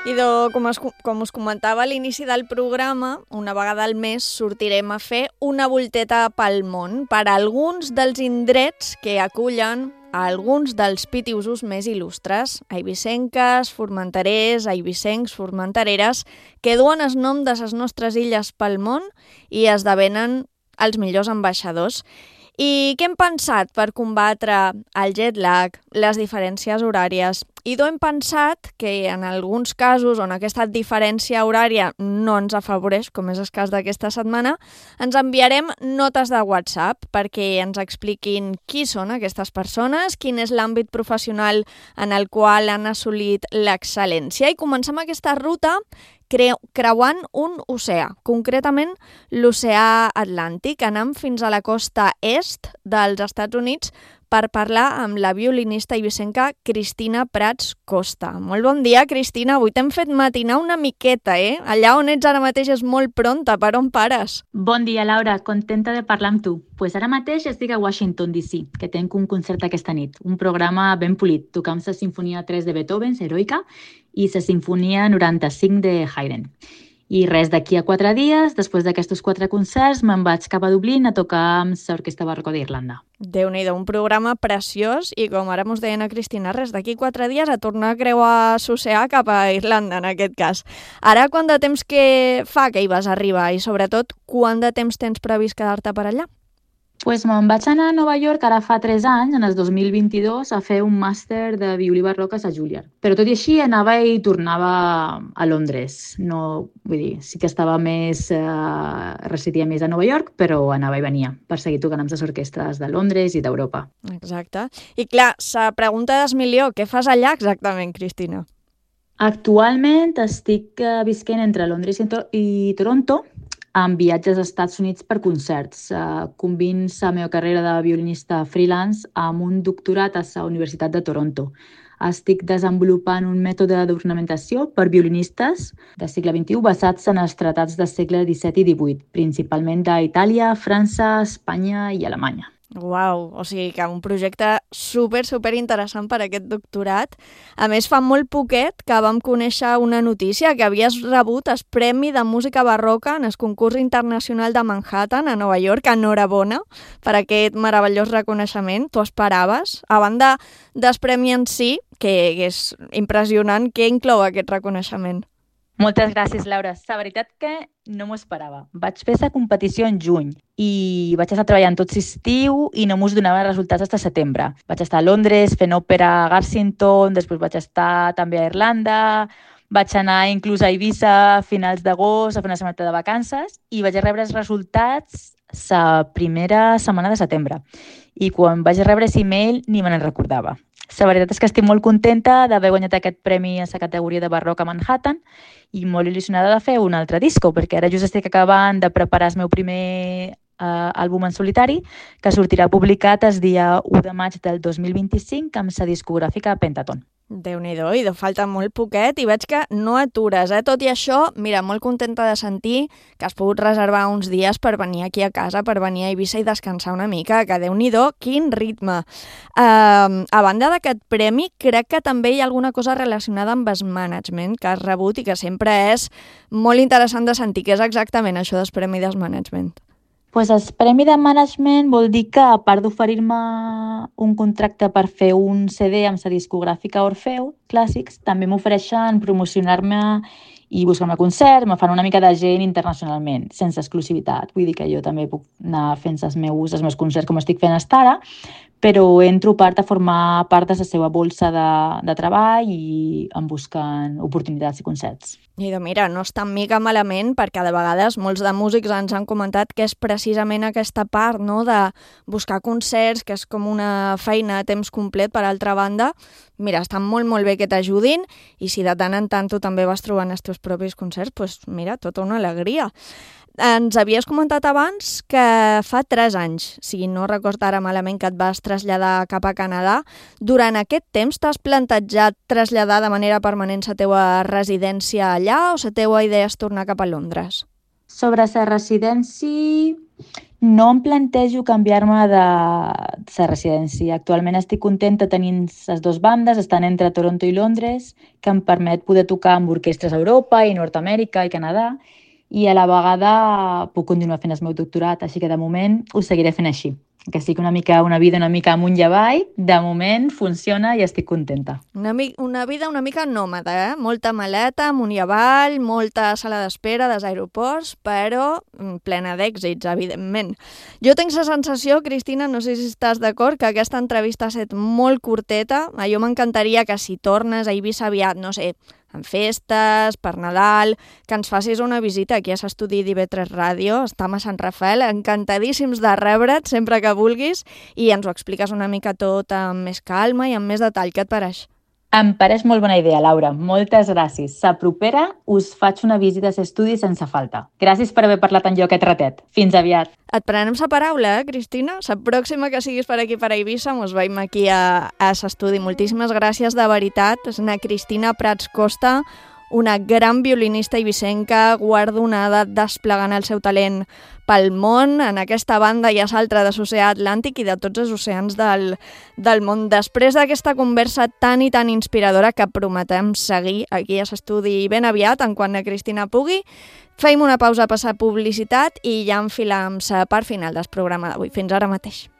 Idò, com, es, com us comentava a l'inici del programa, una vegada al mes sortirem a fer una volteta pel món per a alguns dels indrets que acullen a alguns dels pitiusos més il·lustres, eivissenques, formenterers, eivissencs, formentereres, que duen el nom de les nostres illes pel món i esdevenen els millors ambaixadors. I què hem pensat per combatre el jet lag, les diferències horàries? I doncs hem pensat que en alguns casos on aquesta diferència horària no ens afavoreix, com és el cas d'aquesta setmana, ens enviarem notes de WhatsApp perquè ens expliquin qui són aquestes persones, quin és l'àmbit professional en el qual han assolit l'excel·lència. I comencem aquesta ruta creuant un oceà, concretament l'oceà Atlàntic, anant fins a la costa est dels Estats Units per parlar amb la violinista eivissenca Cristina Prats Costa. Molt bon dia, Cristina. Avui t'hem fet matinar una miqueta, eh? Allà on ets ara mateix és molt pronta. Per on pares? Bon dia, Laura. Contenta de parlar amb tu. Pues ara mateix estic a Washington, D C, que tenc un concert aquesta nit. Un programa ben polit. Tocam la Sinfonia tres de Beethoven, Heroica, i la Sinfonia noranta-cinc de Haydn. I res, d'aquí a quatre dies, després d'aquests quatre concerts, me'n vaig cap a Dublín a tocar amb l'Orquestra Barroca d'Irlanda. Déu-n'hi-do, un programa preciós i com ara mos deien a Cristina, res, d'aquí quatre dies a tornar a creuar l'oceà cap a Irlanda, en aquest cas. Ara, quant de temps que fa que hi vas arribar i, sobretot, quant de temps tens previst quedar-te per allà? Pues me'n vaig anar a Nova York ara fa tres anys, en el dos mil vint-i-dos, a fer un màster de violí barroc a la Juilliard. Però tot i així anava i tornava a Londres. No, vull dir, sí que estava més, eh, residia més a Nova York, però anava i venia per seguir tocant amb les orquestres de Londres i d'Europa. Exacte. I clar, la pregunta del milió, què fas allà exactament, Cristina? Actualment estic visquent entre Londres i, to i Toronto, amb viatges als Estats Units per concerts. Uh, combins la meva carrera de violinista freelance amb un doctorat a la Universitat de Toronto. Estic desenvolupant un mètode d'ornamentació per violinistes del segle vint-i-u basats en els tratats del segle disset i divuit, principalment d'Itàlia, França, Espanya i Alemanya. Uau, o sigui que un projecte super, super interessant per aquest doctorat. A més, fa molt poquet que vam conèixer una notícia que havies rebut el Premi de Música Barroca en el concurs internacional de Manhattan a Nova York. Enhorabona per aquest meravellós reconeixement. T'ho esperaves? A banda del premi en si, que és impressionant, què inclou aquest reconeixement? Moltes gràcies, Laura. La veritat que no m'ho esperava. Vaig fer la competició en juny i vaig estar treballant tot l'estiu i no m'ho donava resultats fins a setembre. Vaig estar a Londres fent òpera a Garsington, després vaig estar també a Irlanda, vaig anar inclús a Eivissa a finals d'agost a fer una setmana de vacances i vaig rebre els resultats la primera setmana de setembre. I quan vaig rebre aquest email ni me n'en recordava. La veritat és que estic molt contenta d'haver guanyat aquest premi a la categoria de barroc a Manhattan i molt il·lusionada de fer un altre disco, perquè ara just estic acabant de preparar el meu primer uh, àlbum en solitari, que sortirà publicat el dia u de maig del dos mil vint-i-cinc amb la discogràfica Pentaton. Déu-n'hi-do, i de falta molt poquet, i veig que no atures, eh? Tot i això, mira, molt contenta de sentir que has pogut reservar uns dies per venir aquí a casa, per venir a Eivissa i descansar una mica, que Déu-n'hi-do, quin ritme. Uh, a banda d'aquest premi, crec que també hi ha alguna cosa relacionada amb el management que has rebut i que sempre és molt interessant de sentir. Què és exactament això del premi del management? Pues el premi de management vol dir que, a part d'oferir-me un contracte per fer un C D amb la discogràfica Orfeu, clàssics, també m'ofereixen promocionar-me i buscar-me concerts, me fan una mica de gent internacionalment, sense exclusivitat. Vull dir que jo també puc anar fent els meus, els meus concerts com estic fent fins ara, però entro part a formar part de la seva bolsa de, de treball i em busquen oportunitats i concerts. I de mira, no està mica malament, perquè de vegades molts de músics ens han comentat que és precisament aquesta part, no?, de buscar concerts, que és com una feina a temps complet per altra banda. Mira, està molt, molt bé que t'ajudin, i si de tant en tant tu també vas trobant els teus propis concerts, doncs mira, tota una alegria. Ens havies comentat abans que fa tres anys, si no recordo ara malament, que et vas traslladar cap a Canadà. Durant aquest temps t'has plantejat traslladar de manera permanent la teua residència allà o la teua idea és tornar cap a Londres? Sobre la residència, no em plantejo canviar-me de la residència. Actualment estic contenta tenint les dues bandes, estan entre Toronto i Londres, que em permet poder tocar amb orquestres a Europa i Nord-Amèrica i Canadà, i a la vegada puc continuar fent el meu doctorat, així que de moment ho seguiré fent així. Que sigui una mica una vida una mica amunt i avall, de moment funciona i estic contenta. Una, una vida una mica nòmada, eh? Molta maleta, amunt i avall, molta sala d'espera dels aeroports, però plena d'èxits, evidentment. Jo tinc la sensació, Cristina, no sé si estàs d'acord, que aquesta entrevista ha estat molt curteta. A jo m'encantaria que si tornes a Eivissa aviat, no sé, en festes, per Nadal, que ens facis una visita aquí a l'estudi d'I V tres Ràdio, estem a Sant Rafael, encantadíssims de rebre't sempre que vulguis i ens ho expliques una mica tot amb més calma i amb més detall. Què et pareix? Em pareix molt bona idea, Laura. Moltes gràcies. La propera us faig una visita a l'estudi sense falta. Gràcies per haver parlat amb jo aquest ratet. Fins aviat. Et prenem la paraula, eh, Cristina? La pròxima que siguis per aquí, per Eivissa, mos veiem aquí a, a l'estudi. Moltíssimes gràcies, de veritat. És una Cristina Prats Costa, una gran violinista eivissenca, guardonada, desplegant el seu talent pel món. En aquesta banda hi ha l'altra de l'oceà Atlàntic i de tots els oceans del, del món. Després d'aquesta conversa tan i tan inspiradora que prometem seguir aquí a l'estudi ben aviat, en quan la Cristina pugui, feim una pausa a passar publicitat i ja enfilam la part final del programa d'avui. Fins ara mateix.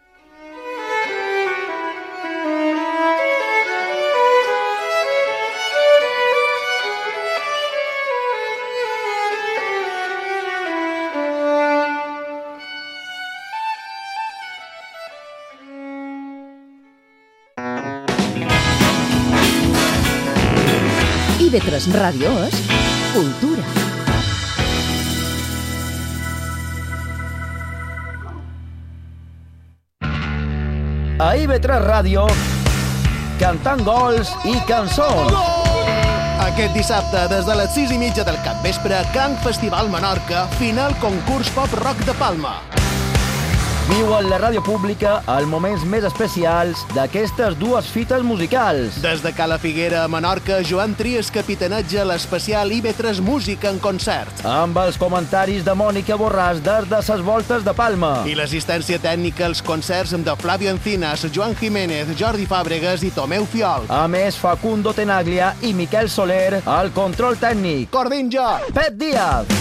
I V tres Ràdio és cultura. A I V tres Ràdio, cantant gols i cançons. Aquest dissabte, des de les sis i mitja del capvespre, Can Festival Menorca, final concurs pop-rock de Palma. Viu en la ràdio pública els moments més especials d'aquestes dues fites musicals. Des de Cala Figuera a Menorca, Joan Trias capitaneja l'especial I V tres Música en concert. Amb els comentaris de Mònica Borràs des de ses voltes de Palma. I l'assistència tècnica als concerts de Flavio Encinas, Joan Jiménez, Jordi Fàbregas i Tomeu Fiol. A més, Facundo Tenaglia i Miquel Soler al control tècnic. Cordinjo! Pep Díaz!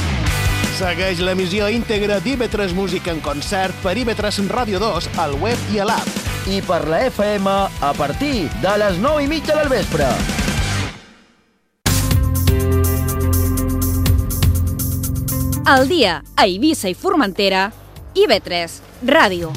Segueix l'emissió íntegra d'I V tres Música en concert per I V tres Ràdio dos al web i a l'app. I per la F M a partir de les nou i mitja del vespre. Al dia a Eivissa i Formentera, I V tres Ràdio.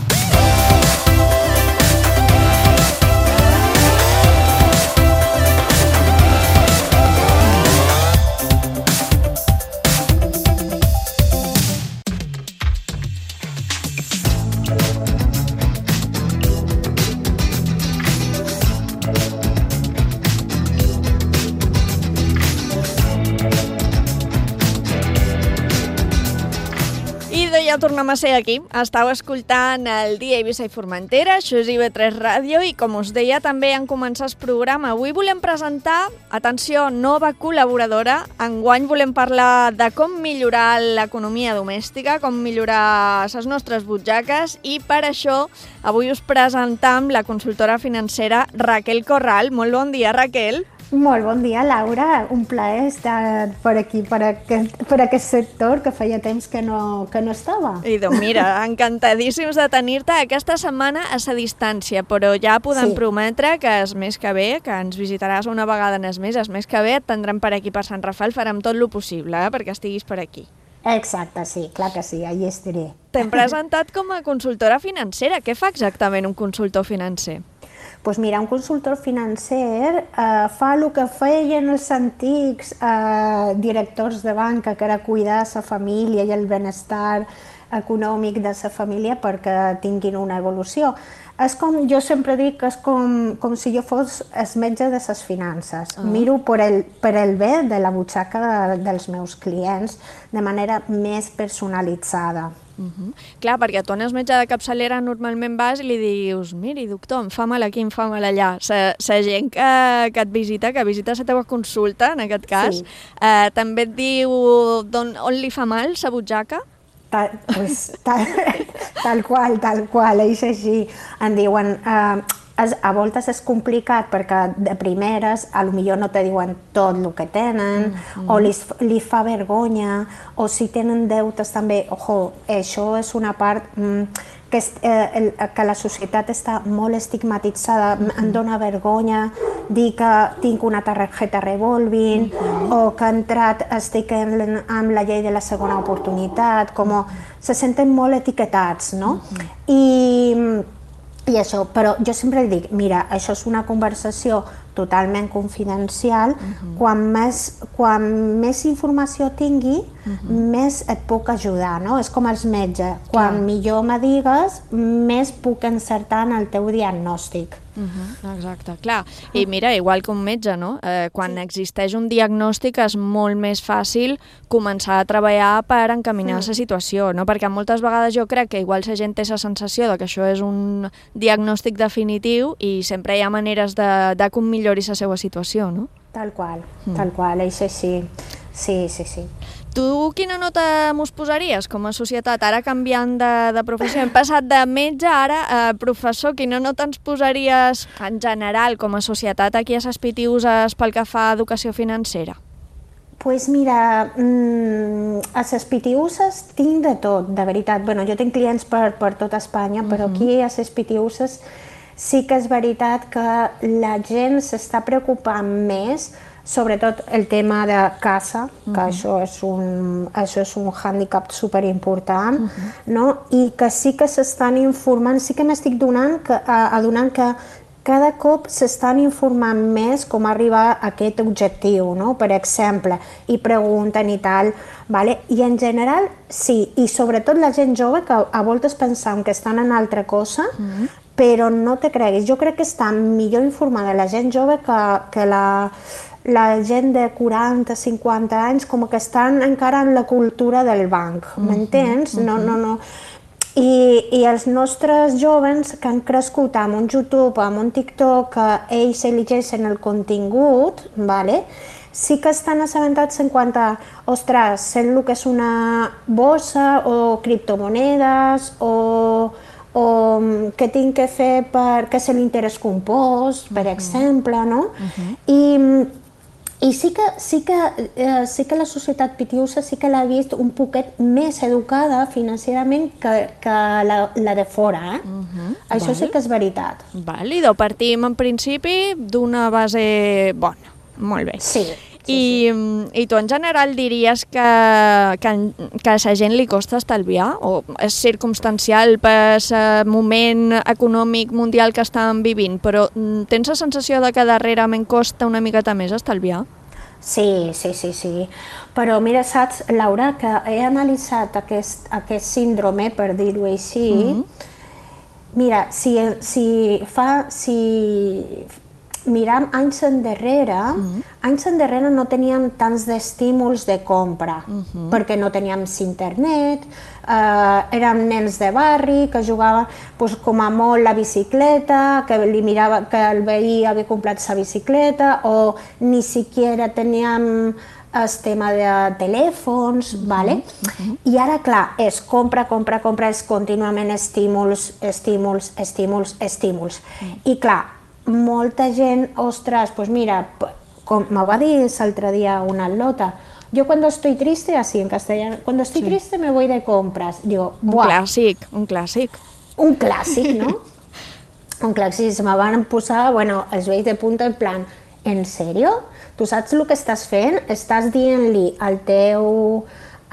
ja tornem a ser aquí. Estau escoltant el Dia Eivissa i Formentera, això és I V tres Ràdio, i com us deia, també en començar el programa. Avui volem presentar, atenció, nova col·laboradora. Enguany volem parlar de com millorar l'economia domèstica, com millorar les nostres butxaques, i per això avui us presentam la consultora financera Raquel Corral. Molt bon dia, Raquel. Molt bon dia, Laura. Un plaer estar per aquí, per aquest, per aquest sector, que feia temps que no, que no estava. I doncs mira, encantadíssims de tenir-te aquesta setmana a sa distància, però ja podem sí. prometre que és més que bé, que ens visitaràs una vegada en el mes, és més que bé, et tindrem per aquí per Sant Rafael, farem tot el possible eh, perquè estiguis per aquí. Exacte, sí, clar que sí, allà estaré. T'hem presentat com a consultora financera. Què fa exactament un consultor financer? Doncs mira, un consultor financer eh, fa el que feien els antics eh, directors de banca, que era cuidar la família i el benestar econòmic de la família perquè tinguin una evolució. És com, jo sempre dic que és com, com si jo fos el metge de les finances. Uh-huh. Miro per el, per el bé de la butxaca de, dels meus clients de manera més personalitzada. Uh-huh. Clar, perquè tu en el metge de capçalera normalment vas i li dius miri, doctor, em fa mal aquí, em fa mal allà. La gent que, que et visita, que visita la teva consulta, en aquest cas, sí. eh, també et diu on, on li fa mal la butxaca? Tal, pues, tal, tal qual, tal qual, és així. Em diuen... Eh, a voltes és complicat perquè de primeres a lo millor no te diuen tot el que tenen, mm-hmm. o li, li fa vergonya, o si tenen deutes també, ojo, això és una part mm, que, és, eh, el, que la societat està molt estigmatitzada, mm-hmm. em dona vergonya dir que tinc una targeta revolving, mm-hmm. o que he entrat, estic en, amb la llei de la segona oportunitat, com se senten molt etiquetats, no? Mm-hmm. I... I això, però jo sempre dic, mira, això és una conversació totalment confidencial, uh-huh. quan, més, quan més informació tingui, uh-huh. més et puc ajudar, no? És com els metges, quan Clar. millor me digues, més puc encertar en el teu diagnòstic. Uh-huh. Exacte, clar. I mira, igual que un metge, no? Eh, quan sí. existeix un diagnòstic és molt més fàcil començar a treballar per encaminar sí. la situació, no? Perquè moltes vegades jo crec que igual la gent té la sensació de que això és un diagnòstic definitiu i sempre hi ha maneres de, de com millori la seva situació, no? Tal qual, mm. tal qual, és així. Sí, sí, sí. Tu quina nota mos posaries com a societat, ara canviant de, de professió? Hem passat de metge ara a professor. Quina nota ens posaries en general com a societat aquí a les Pitiuses pel que fa a educació financera? Doncs pues mira, mmm, a les Pitiuses tinc de tot, de veritat. Bueno, jo tinc clients per, per tota Espanya, però uh-huh. aquí a les Pitiuses sí que és veritat que la gent s'està preocupant més, sobretot el tema de casa, que uh-huh. això, és un, això és un hàndicap superimportant, uh-huh. no? I que sí que s'estan informant, sí que m'estic donant que, adonant que cada cop s'estan informant més com arribar a aquest objectiu, no? Per exemple, i pregunten i tal, vale? I en general sí, i sobretot la gent jove que a voltes pensam que estan en altra cosa, uh-huh. però no te creguis, jo crec que està millor informada la gent jove que, que la... la gent de quaranta, cinquanta anys com que estan encara en la cultura del banc, m'entens? Uh-huh, uh-huh. No, no, no. I, I els nostres jovens que han crescut amb un YouTube, amb un TikTok, que ells elegeixen el contingut, vale? Sí que estan assabentats en quant a, ostres, sé el que és una bossa o criptomonedes o, o què tinc que fer per què és l'interès compost, per uh-huh. exemple, no? Uh-huh. I I sí que, sí, que, eh, sí que la societat pitiusa sí que l'ha vist un poquet més educada financerament que, que la, la de fora, eh? Uh-huh. Això Val. sí que és veritat. Vàlido, partim en principi d'una base bona. Molt bé. Sí. I, I tu en general diries que, que, que a la gent li costa estalviar o és circumstancial per el moment econòmic mundial que estan vivint, però tens la sensació de que darrerament costa una miqueta més estalviar? Sí, sí, sí, sí. Però mira, saps, Laura, que he analitzat aquest, aquest síndrome, per dir-ho així. Mm-hmm. Mira, si, si fa... Si... miram anys endarrere, mm-hmm. anys endarrere no teníem tants d'estímuls de compra, mm-hmm. perquè no teníem internet, eh, érem nens de barri que jugaven pues, com a molt la bicicleta, que, li mirava, que el veí havia comprat sa bicicleta, o ni siquiera teníem el tema de telèfons, mm-hmm. vale? Mm-hmm. I ara, clar, és compra, compra, compra, és contínuament estímuls, estímuls, estímuls, estímuls. Mm. I clar, molta gent, ostres, pues mira, com me va dir l'altre dia una atleta, yo cuando estoy triste, así en castellano, cuando estoy sí. triste me voy de compras. Digo, un clàssic, un clàssic. Un clàssic, no? Un clàssic, se me van posar, bueno, els vells de punta en plan, ¿en serio? Tu saps el que estàs fent? Estàs dient-li al teu,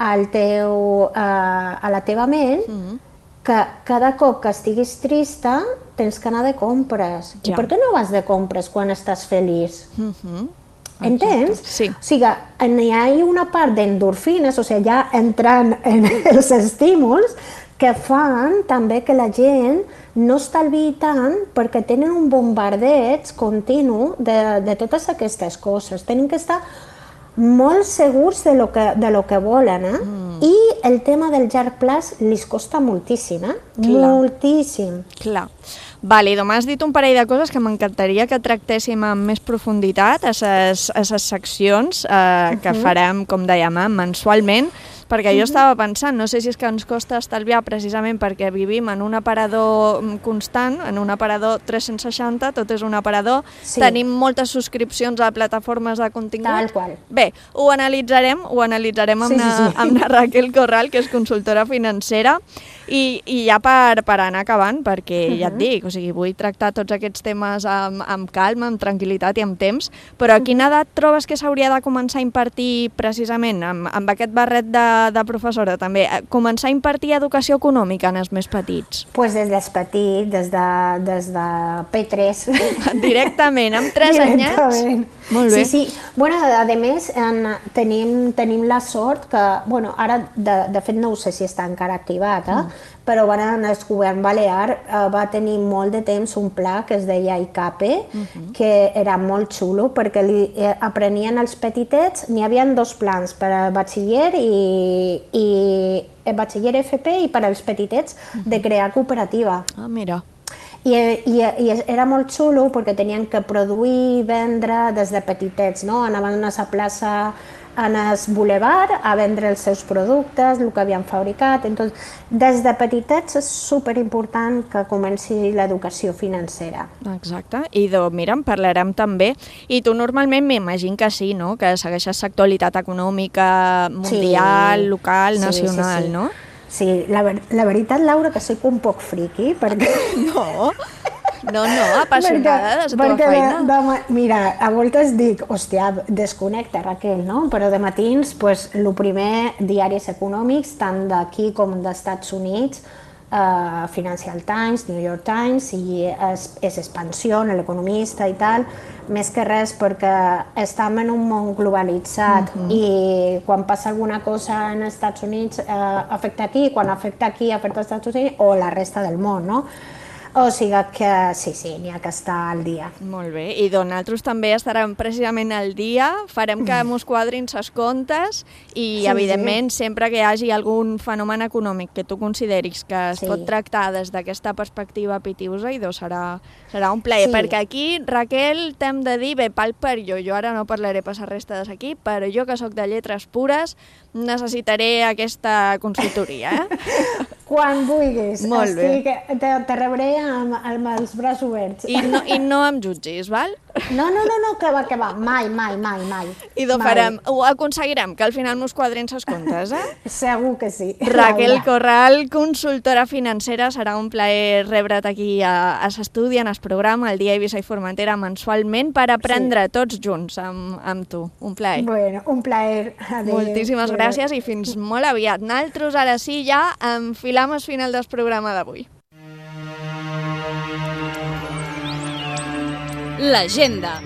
al teu, uh, a la teva ment mm-hmm. que cada cop que estiguis trista tens que anar de compres. Ja. I per què no vas de compres quan estàs feliç? Mm-hmm. Entens? Sí. O sigui, hi ha una part d'endorfines, o sigui, ja entrant en els estímuls, que fan també que la gent no estalviï tant perquè tenen un bombardeig continu de, de totes aquestes coses. Tenen que estar molt segurs de lo que, de lo que volen, eh? Mm. I el tema del llarg plaç li costa moltíssim, eh? Clar. Moltíssim. Clar. Vale, m'has dit un parell de coses que m'encantaria que tractéssim amb més profunditat a les seccions eh, uh-huh. que farem, com dèiem, eh, mensualment, perquè jo estava pensant, no sé si és que ens costa estalviar precisament perquè vivim en un aparador constant, en un aparador tres-cents seixanta, tot és un aparador, sí. Tenim moltes subscripcions a plataformes de contingut. Tal qual. Bé, ho analitzarem, ho analitzarem amb, sí, sí, sí. Na, amb na Raquel Corral, que és consultora financera, i, i ja per, per anar acabant, perquè uh-huh. ja et dic, o sigui, vull tractar tots aquests temes amb, amb calma, amb tranquil·litat i amb temps, però a quina edat trobes que s'hauria de començar a impartir precisament, amb, amb aquest barret de de professora també, començar a impartir educació econòmica en els més petits? Pues des dels petits, des de, des de P tres. Directament, amb tres anyets? Molt bé. Sí, sí. Bueno, a més, en, tenim, tenim la sort que, bueno, ara, de, de fet, no sé si està encara activat, eh? Mm. Però bueno, el govern balear eh, va tenir molt de temps un pla que es deia I C A P E, uh-huh. que era molt xulo perquè li eh, aprenien els petitets, n'hi havia dos plans per al batxiller i, i el batxiller F P i per als petitets uh-huh. de crear cooperativa. Ah, mira. I, i, i era molt xulo perquè tenien que produir i vendre des de petitets, no? Anaven a la plaça en el boulevard a vendre els seus productes, el que havien fabricat. Entonces, des de petitets és superimportant que comenci l'educació financera. Exacte. I de, mira, en parlarem també. I tu normalment m'imagino que sí, no? Que segueixes l'actualitat econòmica mundial, sí. local, sí, nacional, sí, sí. no? Sí, la, la veritat, Laura, que soc un poc friqui, perquè... No, no, no, apassionada de la teva feina. De, de, mira, a voltes dic, hòstia, desconnecta, Raquel, no? Però de matins, pues, el primer, diaris econòmics, tant d'aquí com dels Estats Units, Uh, Financial Times, New York Times, i és, és Expansió, l'Economista i tal, més que res perquè estem en un món globalitzat uh-huh. i quan passa alguna cosa en els Estats Units uh, afecta aquí, quan afecta aquí afecta els Estats Units o la resta del món, no? O sigui que sí, sí, n'hi ha que estar al dia. Molt bé, i doncs nosaltres també estarem precisament al dia, farem que mos quadrin ses comptes i, sí, evidentment, sí. sempre que hi hagi algun fenomen econòmic que tu consideris que es sí. pot tractar des d'aquesta perspectiva pitiusa, i doncs serà, serà un plaer, sí. perquè aquí, Raquel, t'hem de dir, bé, pal per jo, jo ara no parlaré per la resta d'aquí, però jo que sóc de lletres pures necessitaré aquesta consultoria, eh? Quan vulguis. Molt bé. Estic, te, te rebré amb, amb els braços oberts. I no, i no em jutgis, val? No, no, no, no, que va, que va. Mai, mai, mai, mai. I ho farem, ho aconseguirem, que al final mos quadrin ses comptes, eh? Segur que sí. Raquel Corral, consultora financera, serà un plaer rebre't aquí a, a l'estudi, en el programa, el dia Eivissa i Formentera, mensualment, per aprendre sí. tots junts amb, amb tu. Un plaer. Bueno, un plaer. Adéu. Moltíssimes Adéu. gràcies i fins molt aviat. Naltros ara sí ja enfilam el final del programa d'avui. L'agenda.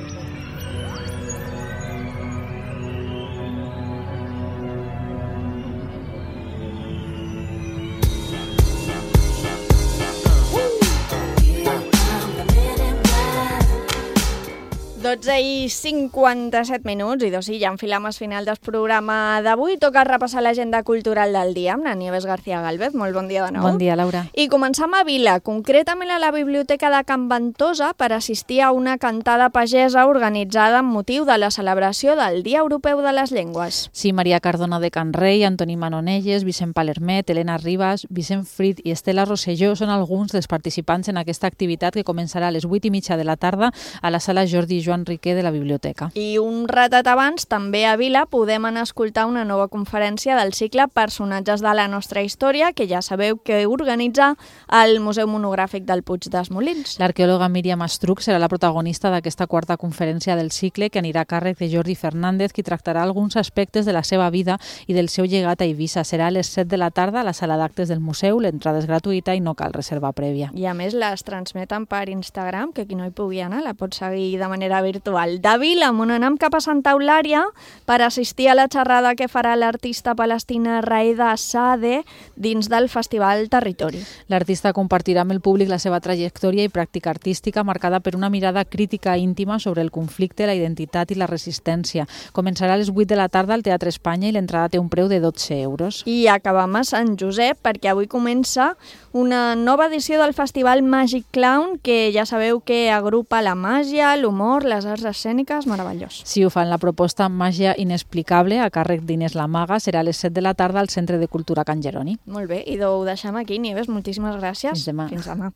dotze i cinquanta-set minuts, i doncs sí, ja enfilam al final del programa d'avui. Toca repassar l'agenda cultural del dia amb la Nieves García Gálvez. Molt bon dia de nou. Bon dia, Laura. I començam a Vila, concretament a la Biblioteca de Can Ventosa, per assistir a una cantada pagesa organitzada amb motiu de la celebració del Dia Europeu de les Llengües. Sí, Maria Cardona de Can Rei, Antoni Manonelles, Vicent Palermet, Helena Ribas, Vicent Frit i Estela Rosselló són alguns dels participants en aquesta activitat que començarà a les vuit i mitja de la tarda a la sala Jordi Joan Riquer de la biblioteca. I un ratet abans, també a Vila, podem anar a escoltar una nova conferència del cicle Personatges de la nostra història, que ja sabeu que organitza el Museu Monogràfic del Puig dels Molins. L'arqueòloga Míriam Estruc serà la protagonista d'aquesta quarta conferència del cicle, que anirà a càrrec de Jordi Fernández, qui tractarà alguns aspectes de la seva vida i del seu llegat a Eivissa. Serà a les set de la tarda a la sala d'actes del museu, l'entrada és gratuïta i no cal reserva prèvia. I a més les transmeten per Instagram, que qui no hi pugui anar la pot seguir de manera virtual. De Vila, on anem cap a Santa Eulària per assistir a la xerrada que farà l'artista palestina Raeda Saade dins del Festival Territori. L'artista compartirà amb el públic la seva trajectòria i pràctica artística marcada per una mirada crítica íntima sobre el conflicte, la identitat i la resistència. Començarà a les vuit de la tarda al Teatre Espanya i l'entrada té un preu de dotze euros. I acabam a Sant Josep perquè avui comença una nova edició del Festival Magic Clown, que ja sabeu que agrupa la màgia, l'humor, les arts escèniques, meravellós. Si ho fan la proposta Màgia Inexplicable a càrrec d'Inés La Maga, serà a les set de la tarda al Centre de Cultura Can Jeroni. Molt bé, i ho deixem aquí, Nieves, moltíssimes gràcies. Fins demà. Fins demà.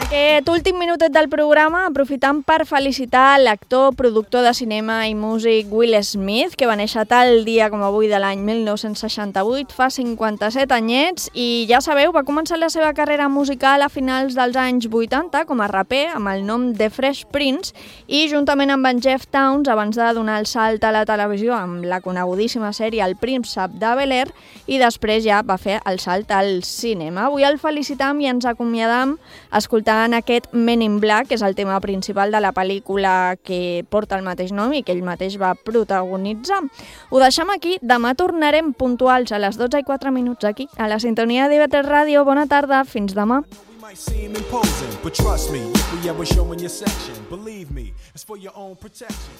Aquest últim minutet del programa aprofitant per felicitar l'actor, productor de cinema i músic Will Smith, que va néixer tal dia com avui de l'any mil nou-cents seixanta-vuit, fa cinquanta-set anyets, i ja sabeu, va començar la seva carrera musical a finals dels anys vuitanta com a raper amb el nom de Fresh Prince, i juntament amb en Jeff Towns, abans de donar el salt a la televisió amb la conegudíssima sèrie El Príncep de Bel-Air, i després ja va fer el salt al cinema. Avui el felicitam i ens acomiadam escoltant en aquest Men in Black, que és el tema principal de la pel·lícula que porta el mateix nom i que ell mateix va protagonitzar. Ho deixem aquí, demà tornarem puntuals a les dotze i quatre minuts aquí, a la sintonia d'I V tres Ràdio. Bona tarda, fins demà. Seem imposing, but trust me, if we ever show in your section, believe me, it's for your own protection.